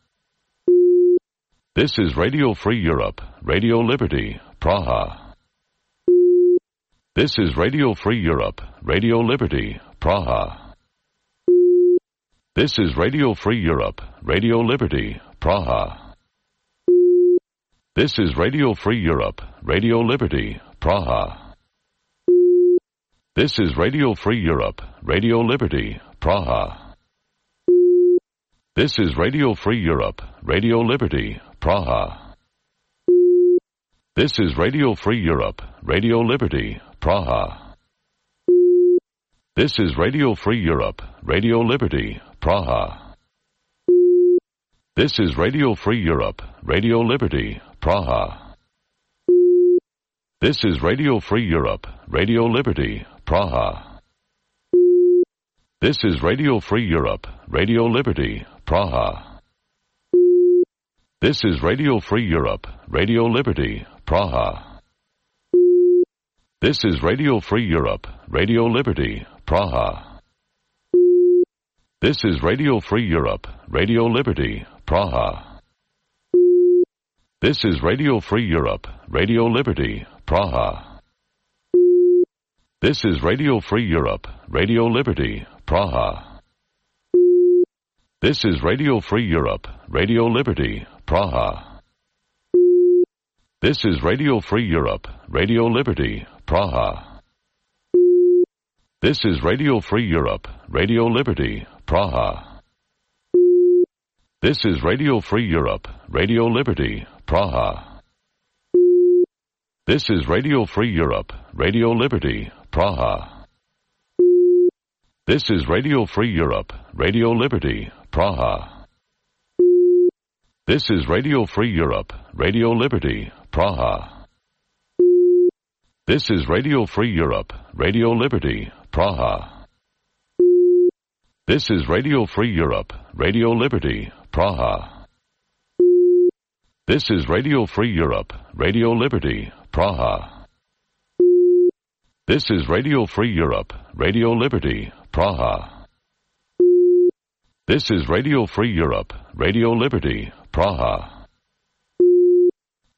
[SPEAKER 10] This is Radio Free Europe, Radio Liberty, Praha. This is Radio Free Europe, Radio Liberty, Praha. This is Radio Free Europe, Radio Liberty, Praha. This is Radio Free Europe, Radio Liberty, Praha. This is Radio Free Europe, Radio Liberty, Praha. This is Radio Free Europe, Radio Liberty, Praha. This is Radio Free Europe, Radio Liberty, Praha. This is Radio Free Europe, Radio Liberty, Praha. This is Radio Free Europe, Radio Liberty, Praha. This is Radio Free Europe, Radio Liberty, Praha. This is Radio Free Europe, Radio Liberty, Praha. This is Radio Free Europe, Radio Liberty, Praha. This is Radio Free Europe, Radio Liberty, Praha. This is Radio Free Europe, Radio Liberty, Praha. This is Radio Free Europe, Radio Liberty, Praha. This is Radio Free Europe, Radio Liberty, Praha. This is Radio Free Europe, Radio Liberty, Praha. This is Radio Free Europe, Radio Liberty, Praha. This is Radio Free Europe, Radio Liberty, Praha. This is Radio Free Europe, Radio Liberty, Praha. This is Radio Free Europe, Radio Liberty, Praha. This is Radio Free Europe, Radio Liberty, Praha. This is Radio Free Europe, Radio Liberty, Praha. This is Radio Free Europe, Radio Liberty, Praha. This is Radio Free Europe, Radio Liberty, Praha. This is Radio Free Europe, Radio Liberty, Praha. This is Radio Free Europe, Radio Liberty, Praha. This is Radio Free Europe, Radio Liberty, Praha.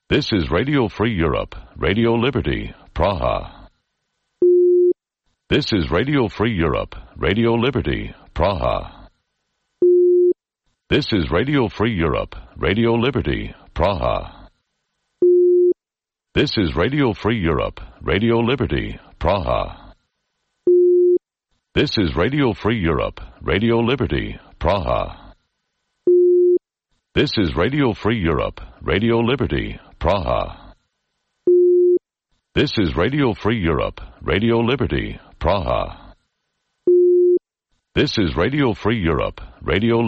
[SPEAKER 10] This is Radio Free Europe, Radio Liberty, Praha. This is Radio Free Europe, Radio Liberty, Praha. This is Radio Free Europe, Radio Liberty, Praha. This is Radio Free Europe, Radio Liberty, Praha. This is Radio Free Europe, Radio Liberty, Praha. This is Radio Free Europe, Radio Liberty, Praha. This is Radio Free Europe, Radio Liberty, Praha. This is Radio Free Europe, Radio Liberty,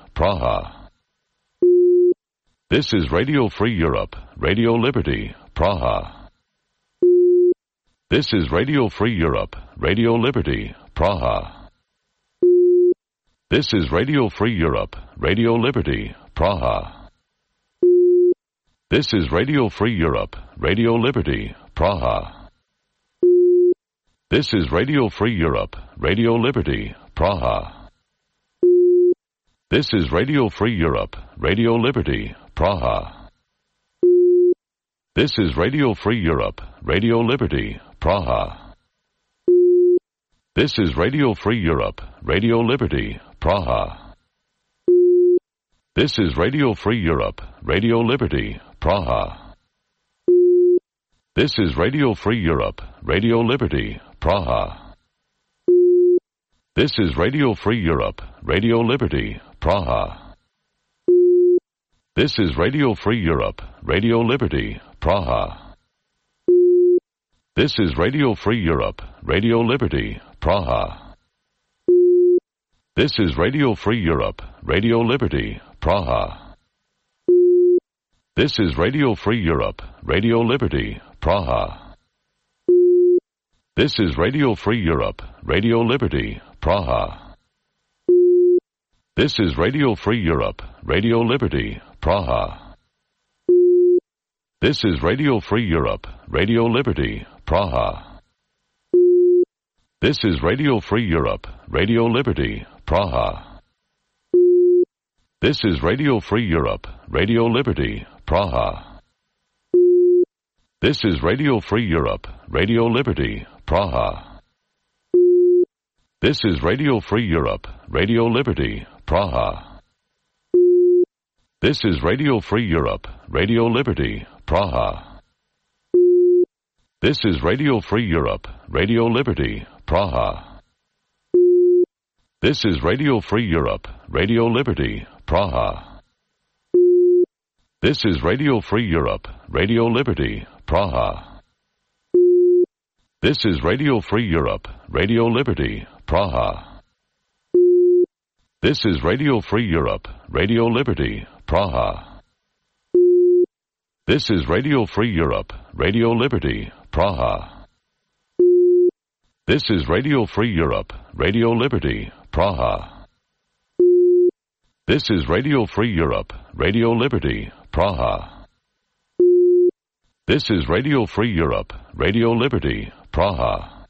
[SPEAKER 10] Praha. This is Radio Free Europe, Radio Liberty, Praha. This is Radio Free Europe, Radio Liberty, Praha. This is Radio Free Europe, Radio Liberty, Praha. This is Radio Free Europe, Radio Liberty, Praha. This is Radio Free Europe, Radio Liberty, Praha. This is Radio Free Europe, Radio Liberty, Praha. This is Radio Free Europe, Radio Liberty, Praha. This is Radio Free Europe, Radio Liberty, Praha. This is Radio Free Europe, Radio Liberty, Praha. This is Radio Free Europe, Radio Liberty, Praha. This is Radio Free Europe, Radio Liberty, Praha. This is Radio Free Europe, Radio Liberty, Praha. This is Radio Free Europe, Radio Liberty, Praha. This is Radio Free Europe, Radio Liberty, Praha. This is Radio Free Europe, Radio Liberty, Praha. This is Radio Free Europe, Radio Liberty, Praha. This is Radio Free Europe, Radio Liberty, Praha. This is Radio Free Europe, Radio Liberty, Praha. This is Radio Free Europe, Radio Liberty, Praha. This is Radio Free Europe, Radio Liberty, Praha. This is Radio Free Europe, Radio Liberty, Praha. This is Radio Free Europe, Radio Liberty, Praha. This is Radio Free Europe, Radio Liberty, Praha. This is Radio Free Europe, Radio Liberty, Praha. This is Radio Free Europe, Radio Liberty, Praha. This is Radio Free Europe, Radio Liberty, Praha. This is Radio Free Europe, Radio Liberty, Praha. This is Radio Free Europe, Radio Liberty, Praha. This is Radio Free Europe, Radio Liberty, Praha. This is Radio Free Europe, Radio Liberty, Praha. This is Radio Free Europe, Radio Liberty, Praha. This is Radio Free Europe, Radio Liberty, Praha.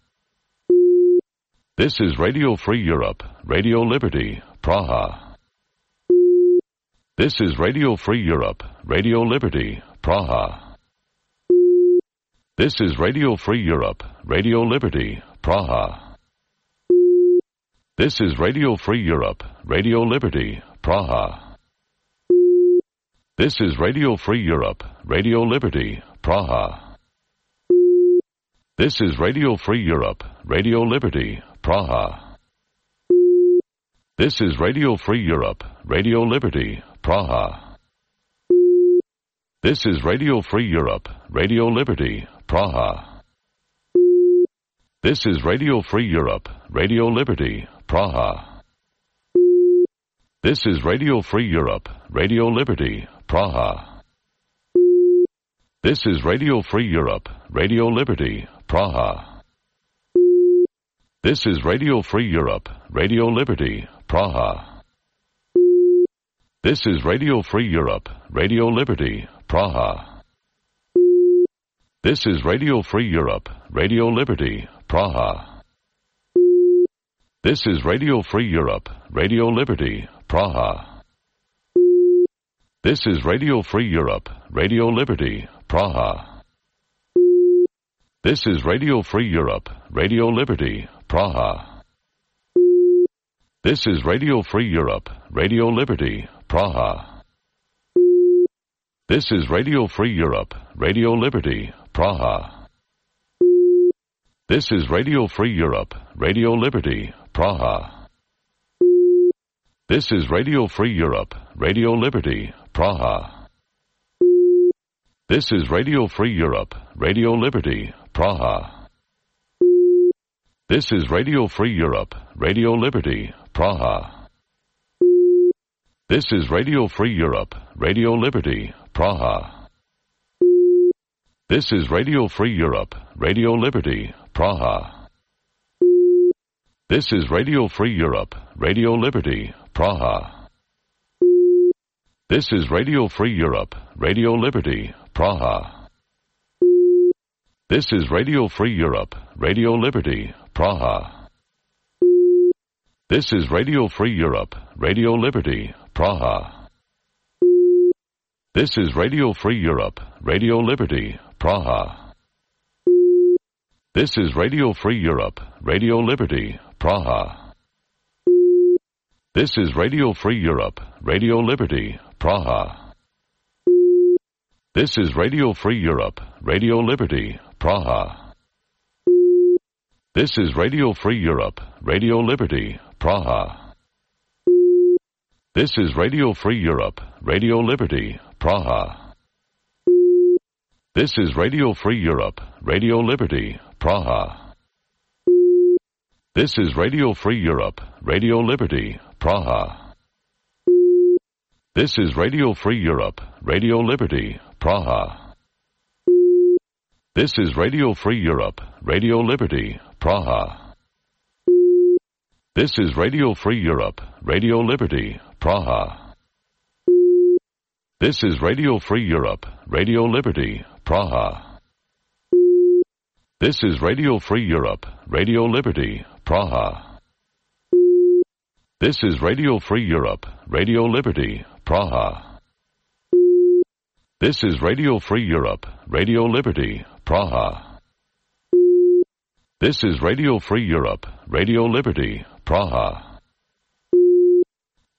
[SPEAKER 10] This is Radio Free Europe, Radio Liberty, Praha. This is Radio Free Europe, Radio Liberty, Praha. This is Radio Free Europe, Radio Liberty, Praha. This is Radio Free Europe, Radio Liberty, Praha. This is Radio Free Europe, Radio Liberty, Praha. This is Radio Free Europe, Radio Liberty, Praha. This is Radio Free Europe, Radio Liberty, Praha. This is Radio Free Europe, Radio Liberty, Praha. This is Radio Free Europe, Radio Liberty, Praha. This is Radio Free Europe, Radio Liberty, Praha. This is Radio Free Europe, Radio Liberty, Praha. This is Radio Free Europe, Radio Liberty, Praha. This is Radio Free Europe, Radio Liberty, Praha. This is Radio Free Europe, Radio Liberty, Praha. This is Radio Free Europe, Radio Liberty, Praha. This is Radio Free Europe, Radio Liberty, Praha. This is Radio Free Europe, Radio Liberty, Praha. This is Radio Free Europe, Radio Liberty, Praha. This is Radio Free Europe, Radio Liberty, Praha. This is Radio Free Europe, Radio Liberty, Praha. This is Radio Free Europe, Radio Liberty, Praha. This is Radio Free Europe, Radio Liberty, Praha. This is Radio Free Europe, Radio Liberty, Praha. This is Radio Free Europe, Radio Liberty, Praha. This is Radio Free Europe, Radio Liberty, Praha. This is Radio Free Europe, Radio Liberty, Praha. This is Radio Free Europe, Radio Liberty, Praha. This is Radio Free Europe, Radio Liberty, Praha. This is Radio Free Europe, Radio Liberty, Praha. This is Radio Free Europe, Radio Liberty, Praha. This is Radio Free Europe, Radio Liberty, Praha. This is Radio Free Europe, Radio Liberty, Praha. This is Radio Free Europe, Radio Liberty, Praha. This is Radio Free Europe, Radio Liberty, Praha. This is Radio Free Europe, Radio Liberty, Praha. This is Radio Free Europe, Radio Liberty, Praha. This is Radio Free Europe, Radio Liberty, Praha. This is Radio Free Europe, Radio Liberty, Praha. This is Radio Free Europe, Radio Liberty, Praha. This is Radio Free Europe, Radio Liberty, Praha. This is Radio Free Europe, Radio Liberty, Praha. This is Radio Free Europe, Radio Liberty, Praha. This is Radio Free Europe, Radio Liberty, Praha. This is Radio Free Europe, Radio Liberty, Praha. This is Radio Free Europe, Radio Liberty, Praha.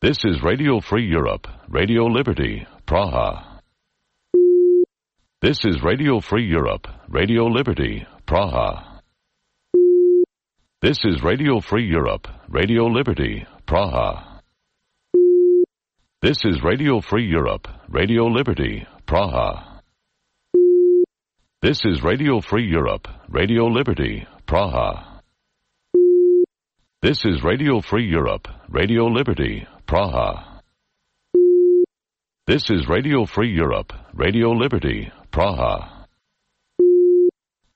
[SPEAKER 10] This is Radio Free Europe, Radio Liberty, Praha. This is Radio Free Europe, Radio Liberty, Praha. This is Radio Free Europe, Radio Liberty, Praha. This is Radio Free Europe, Radio Liberty, Praha. This is Radio Free Europe, Radio Liberty, Praha. This is Radio Free Europe, Radio Liberty, Praha. This is Radio Free Europe, Radio Liberty, Praha.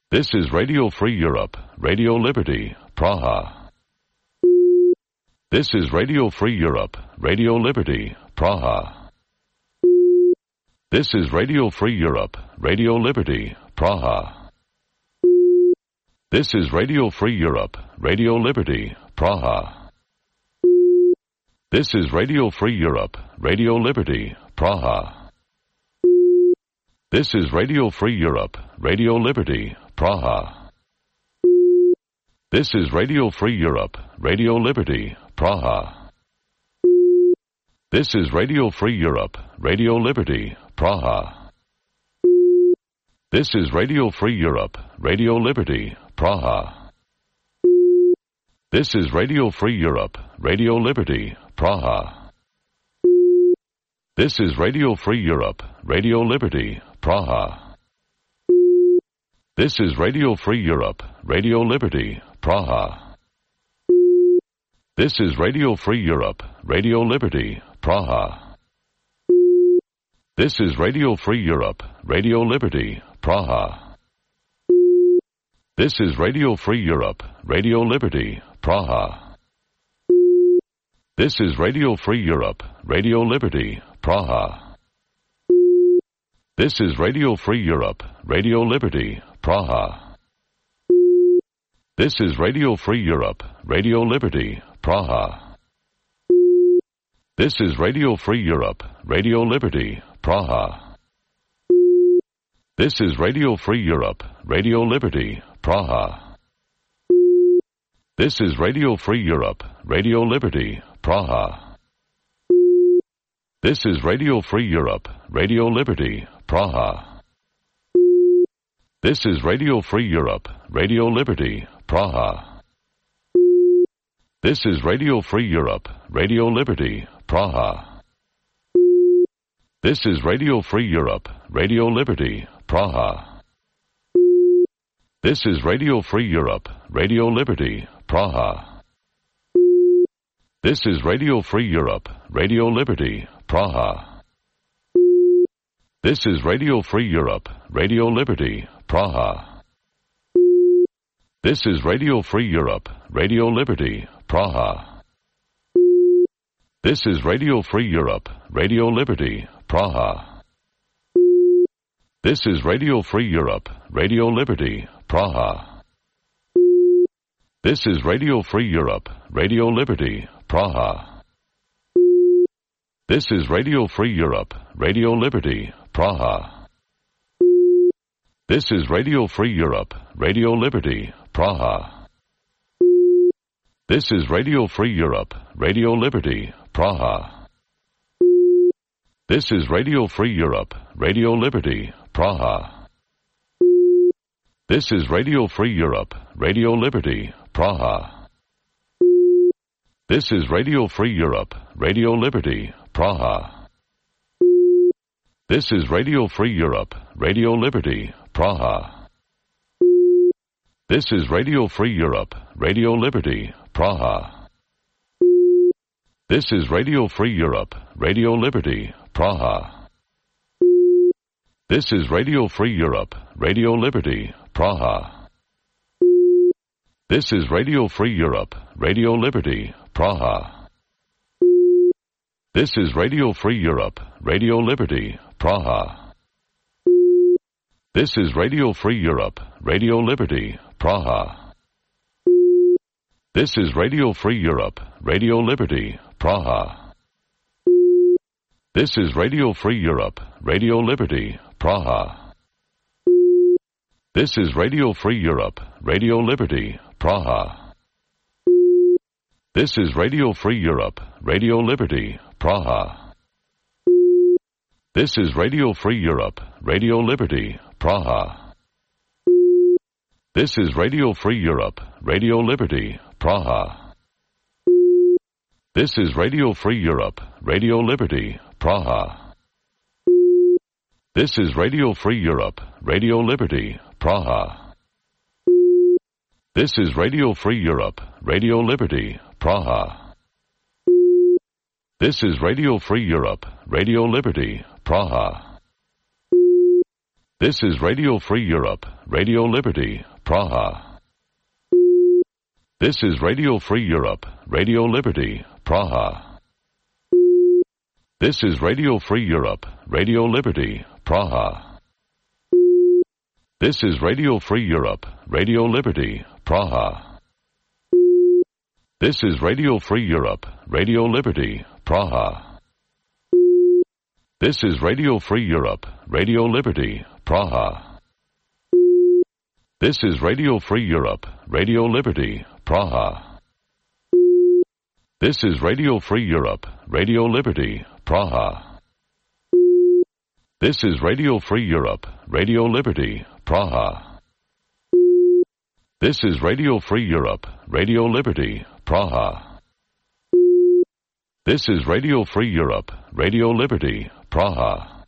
[SPEAKER 10] This is Radio Free Europe, Radio Liberty, Praha. This is Radio Free Europe, Radio Liberty, Praha. This is Radio Free Europe, Radio Liberty, Praha. This is Radio Free Europe, Radio Liberty, Praha. This is Radio Free Europe, Radio Liberty, Praha. This is Radio Free Europe, Radio Liberty, Praha. This is Radio Free Europe, Radio Liberty, Praha. This is Radio Free Europe, Radio Liberty, Praha. This is Radio Free Europe, Radio Liberty, Praha. This is Radio Free Europe, Radio Liberty, Praha. This is Radio Free Europe, Radio Liberty, Praha. This is Radio Free Europe, Radio Liberty, Praha. This is Radio Free Europe, Radio Liberty, Praha. This is Radio Free Europe, Radio Liberty, Praha. This is Radio Free Europe, Radio Liberty, Praha. This is Radio Free Europe, Radio Liberty, Praha. This is Radio Free Europe, Radio Liberty, Praha. This is Radio Free Europe, Radio Liberty, Praha. This is Radio Free Europe, Radio Liberty, Praha. This is Radio Free Europe, Radio Liberty, Praha. This is Radio Free Europe, Radio Liberty, Praha. This is Radio Free Europe, Radio Liberty, Praha. This is Radio Free Europe, Radio Liberty, Praha. This is Radio Free Europe, Radio Liberty, Praha. This is Radio Free Europe, Radio Liberty, Praha. This is Radio Free Europe, Radio Liberty, Praha. This is Radio Free Europe, Radio Liberty, Praha. This is Radio Free Europe, Radio Liberty, Praha. This is Radio Free Europe, Radio Liberty, Praha. This is Radio Free Europe, Radio Liberty, Praha. This is Radio Free Europe, Radio Liberty, Praha. This is Radio Free Europe, Radio Liberty, Praha. This is Radio Free Europe, Radio Liberty, Praha. This is Radio Free Europe, Radio Liberty, Praha. This is Radio Free Europe, Radio Liberty, Praha. This is Radio Free Europe, Radio Liberty, Praha. This is Radio Free Europe, Radio Liberty, Praha. This is Radio Free Europe, Radio Liberty, Praha. This is Radio Free Europe, Radio Liberty, Praha. This is Radio Free Europe, Radio Liberty, Praha. This is Radio Free Europe, Radio Liberty, Praha. This is Radio Free Europe, Radio Liberty, Praha. This is Radio Free Europe, Radio Liberty, Praha. This is Radio Free Europe, Radio Liberty, Praha. This is Radio Free Europe, Radio Liberty, Praha. This is Radio Free Europe, Radio Liberty, Praha. This is Radio Free Europe, Radio Liberty, Praha. This is Radio Free Europe, Radio Liberty, Praha. This is Radio Free Europe, Radio Liberty, Praha. This is Radio Free Europe, Radio Liberty, Praha. This is Radio Free Europe, Radio Liberty, Praha. This is Radio Free Europe, Radio Liberty, Praha. This is Radio Free Europe, Radio Liberty, Praha. This is Radio Free Europe, Radio Liberty, Praha. This is Radio Free Europe, Radio Liberty, Praha. This is Radio Free Europe, Radio Liberty, Praha. This is Radio Free Europe, Radio Liberty, Praha. This is Radio Free Europe, Radio Liberty, Praha. This is Radio Free Europe, Radio Liberty, Praha. This is Radio Free Europe, Radio Liberty, Praha. This is Radio Free Europe, Radio Liberty, Praha. This is Radio Free Europe, Radio Liberty, Praha. This is Radio Free Europe, Radio Liberty, Praha. This is Radio Free Europe, Radio Liberty, Praha. This is Radio Free Europe, Radio Liberty, Praha. This is Radio Free Europe, Radio Liberty, Praha.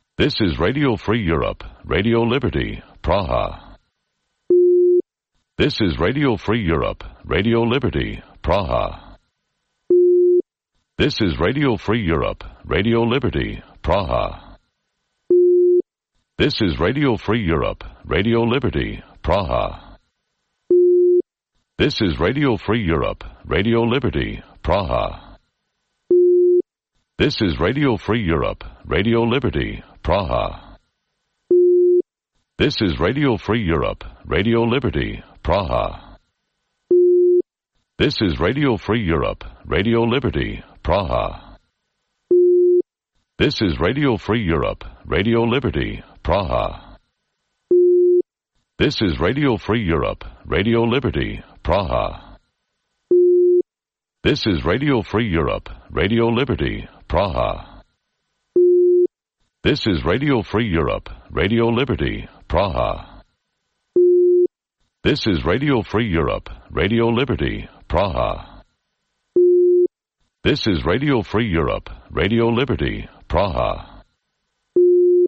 [SPEAKER 10] This is Radio Free Europe, Radio Liberty, Praha. This is Radio Free Europe, Radio Liberty, Praha. This is Radio Free Europe, Radio Liberty, Praha. This is Radio Free Europe, Radio Liberty, Praha. This is Radio Free Europe, Radio Liberty, Praha. This is Radio Free Europe, Radio Liberty, Praha. This is Radio Free Europe, Radio Liberty, Praha. This is Radio Free Europe, Radio Liberty, Praha. This is Radio Free Europe, Radio Liberty, Praha. This is Radio Free Europe, Radio Liberty, Praha. This is Radio Free Europe, Radio Liberty, Praha. This is Radio Free Europe, Radio Liberty, Praha. This is Radio Free Europe, Radio Liberty, Praha. This is Radio Free Europe, Radio Liberty, Praha.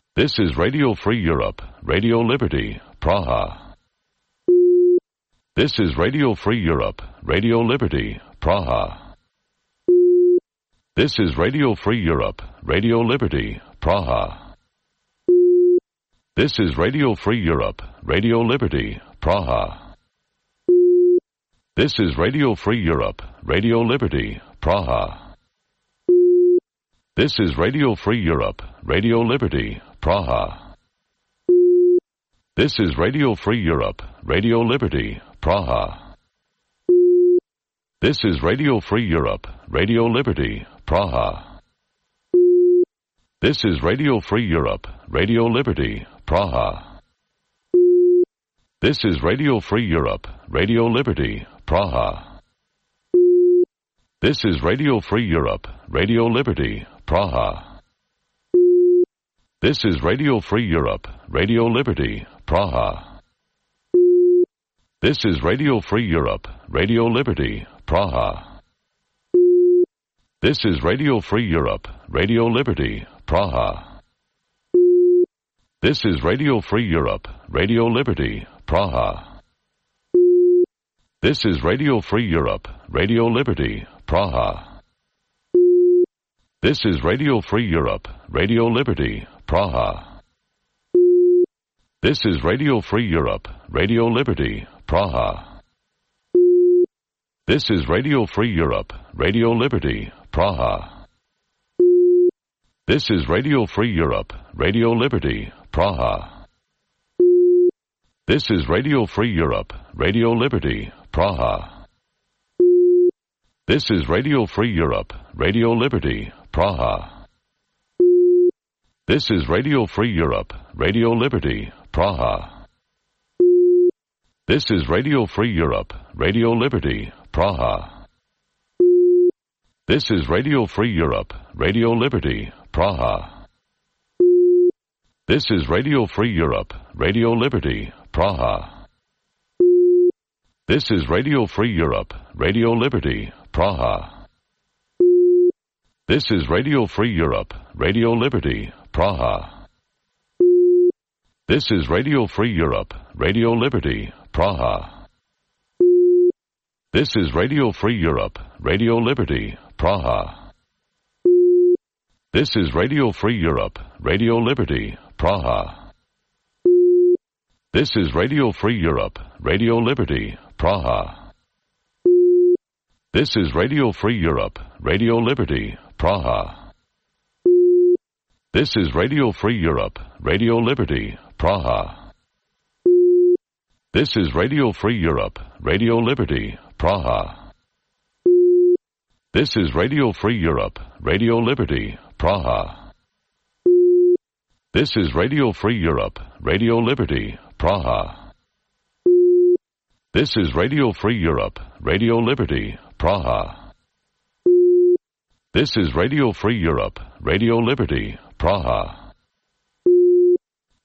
[SPEAKER 10] This is Radio Free Europe, Radio Liberty, Praha. This is Radio Free Europe, Radio Liberty, Praha. This is Radio Free Europe, Radio Liberty, Praha. This is Radio Free Europe, Radio Liberty, Praha. This is Radio Free Europe, Radio Liberty, Praha. This is Radio Free Europe, Radio Liberty, Praha. This is Radio Free Europe, Radio Liberty, Praha. This is Radio Free Europe, Radio Liberty, Praha. This is Radio Free Europe, Radio Liberty, Praha. This is Radio Free Europe, Radio Liberty, Praha. This is Radio Free Europe, Radio Liberty, Praha. This is Radio Free Europe, Radio Liberty, Praha. This is Radio Free Europe, Radio Liberty, Praha. This is Radio Free Europe, Radio Liberty, Praha. This is Radio Free Europe, Radio Liberty, Praha. This is Radio Free Europe, Radio Liberty, Praha. This is Radio Free Europe, Radio Liberty, Praha. This is Radio Free Europe, Radio Liberty, Praha. This is Radio Free Europe, Radio Liberty, Praha. This is Radio Free Europe, Radio Liberty, Praha. This is Radio Free Europe, Radio Liberty, Praha. This is Radio Free Europe, Radio Liberty, Praha. This is Radio Free Europe, Radio Liberty, Praha. This is Radio Free Europe, Radio Liberty, Praha. This is Radio Free Europe, Radio Liberty, Praha. This is Radio Free Europe, Radio Liberty, Praha. This is Radio Free Europe, Radio Liberty, Praha. This is Radio Free Europe, Radio Liberty, Praha. This is Radio Free Europe, Radio Liberty, Praha. This is Radio Free Europe, Radio Liberty, Praha. This is Radio Free Europe, Radio Liberty, Praha. This is Radio Free Europe, Radio Liberty, Praha. This is Radio Free Europe, Radio Liberty, Praha. This is Radio Free Europe, Radio Liberty, Praha. This is Radio Free Europe, Radio Liberty, Praha. This is Radio Free Europe, Radio Liberty, Praha. This is Radio Free Europe, Radio Liberty, Praha. This is Radio Free Europe, Radio Liberty, Praha. This is Radio Free Europe, Radio Liberty, Praha.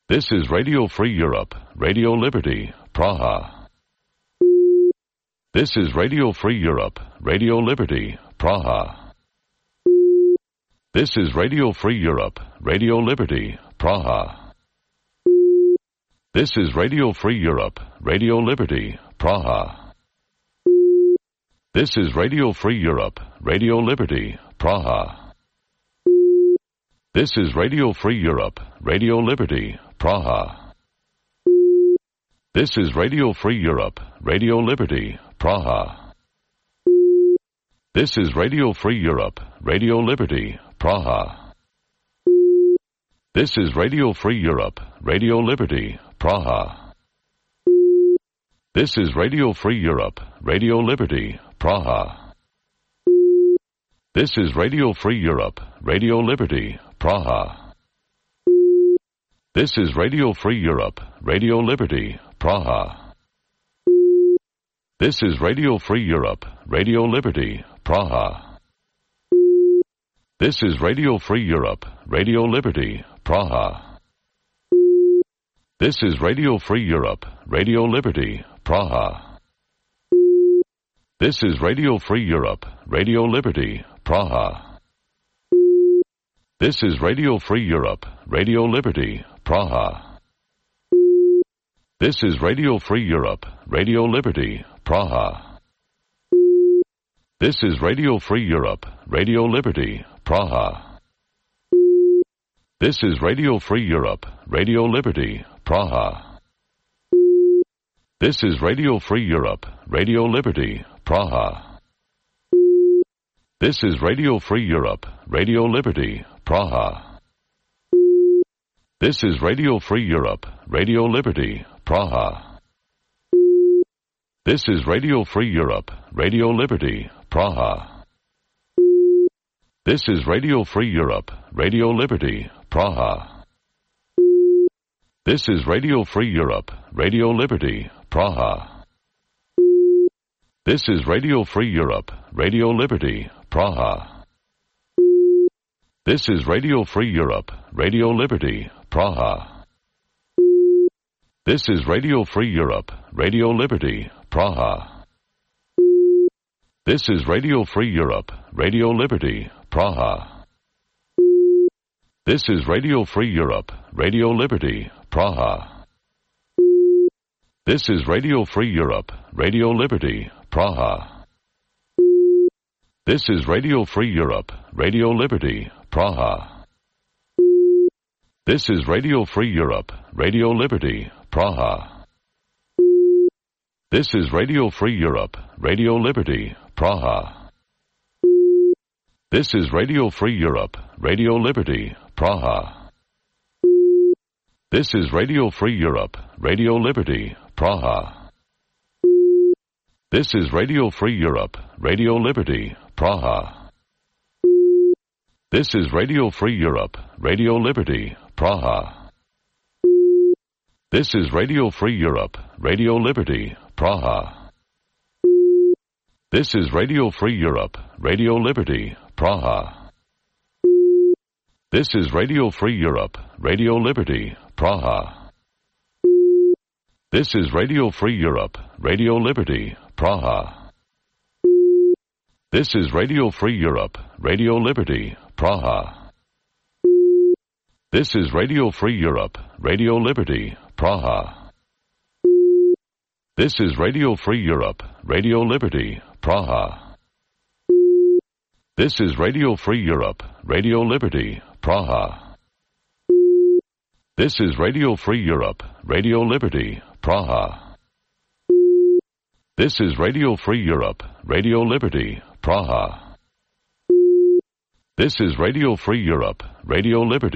[SPEAKER 10] This is Radio Free Europe, Radio Liberty, Praha. This is Radio Free Europe, Radio Liberty, Praha. This is Radio Free Europe, Radio Liberty, Praha. This is Radio Free Europe, Radio Liberty, Praha. This is Radio Free Europe, Radio Liberty, Praha. This is Radio Free Europe, Radio Liberty, Praha. This is Radio Free Europe, Radio Liberty, Praha. This is Radio Free Europe, Radio Liberty, Praha. This is Radio Free Europe, Radio Liberty, Praha. This is Radio Free Europe, Radio Liberty, Praha. This is Radio Free Europe, Radio Liberty, Praha. This is Radio Free Europe, Radio Liberty, Praha. This is Radio Free Europe, Radio Liberty, Praha. This is Radio Free Europe, Radio Liberty, Praha. This is Radio Free Europe, Radio Liberty, Praha. This is Radio Free Europe, Radio Liberty, Praha. This is Radio Free Europe, Radio Liberty, Praha. This is Radio Free Europe, Radio Liberty, Praha. This is Radio Free Europe, Radio Liberty, Praha. This is Radio Free Europe, Radio Liberty, Praha. This is Radio Free Europe, Radio Liberty, Praha. This is Radio Free Europe, Radio Liberty, Praha. This is Radio Free Europe, Radio Liberty, Praha. This is Radio Free Europe, Radio Liberty, Praha. This is Radio Free Europe, Radio Liberty, Praha. This is Radio Free Europe, Radio Liberty, Praha. This is Radio Free Europe, Radio Liberty, Praha. This is Radio Free Europe, Radio Liberty, Praha. This is Radio Free Europe, Radio Liberty, Praha. This is Radio Free Europe, Radio Liberty, Praha. This is Radio Free Europe, Radio Liberty, Praha. This is Radio Free Europe, Radio Liberty, Praha. This is Radio Free Europe, Radio Liberty, Praha. This is Radio Free Europe, Radio Liberty, Praha. This is Radio Free Europe, Radio Liberty, Praha. This is Radio Free Europe, Radio Liberty, Praha. This is Radio Free Europe, Radio Liberty, Praha. This is Radio Free Europe, Radio Liberty, Praha. This is Radio Free Europe, Radio Liberty, Praha. This is Radio Free Europe, Radio Liberty, Praha. This is Radio Free Europe, Radio Liberty, Praha. This is Radio Free Europe, Radio Liberty, Praha. This is Radio Free Europe, Radio Liberty, Praha. This is Radio Free Europe, Radio Liberty, Praha. This is Radio Free Europe, Radio Liberty, Praha. This is Radio Free Europe, Radio Liberty, Praha. This is Radio Free Europe, Radio Liberty, Praha. This is Radio Free Europe, Radio Liberty, Praha. This is Radio Free Europe, Radio Liberty, Praha. This is Radio Free Europe, Radio Liberty.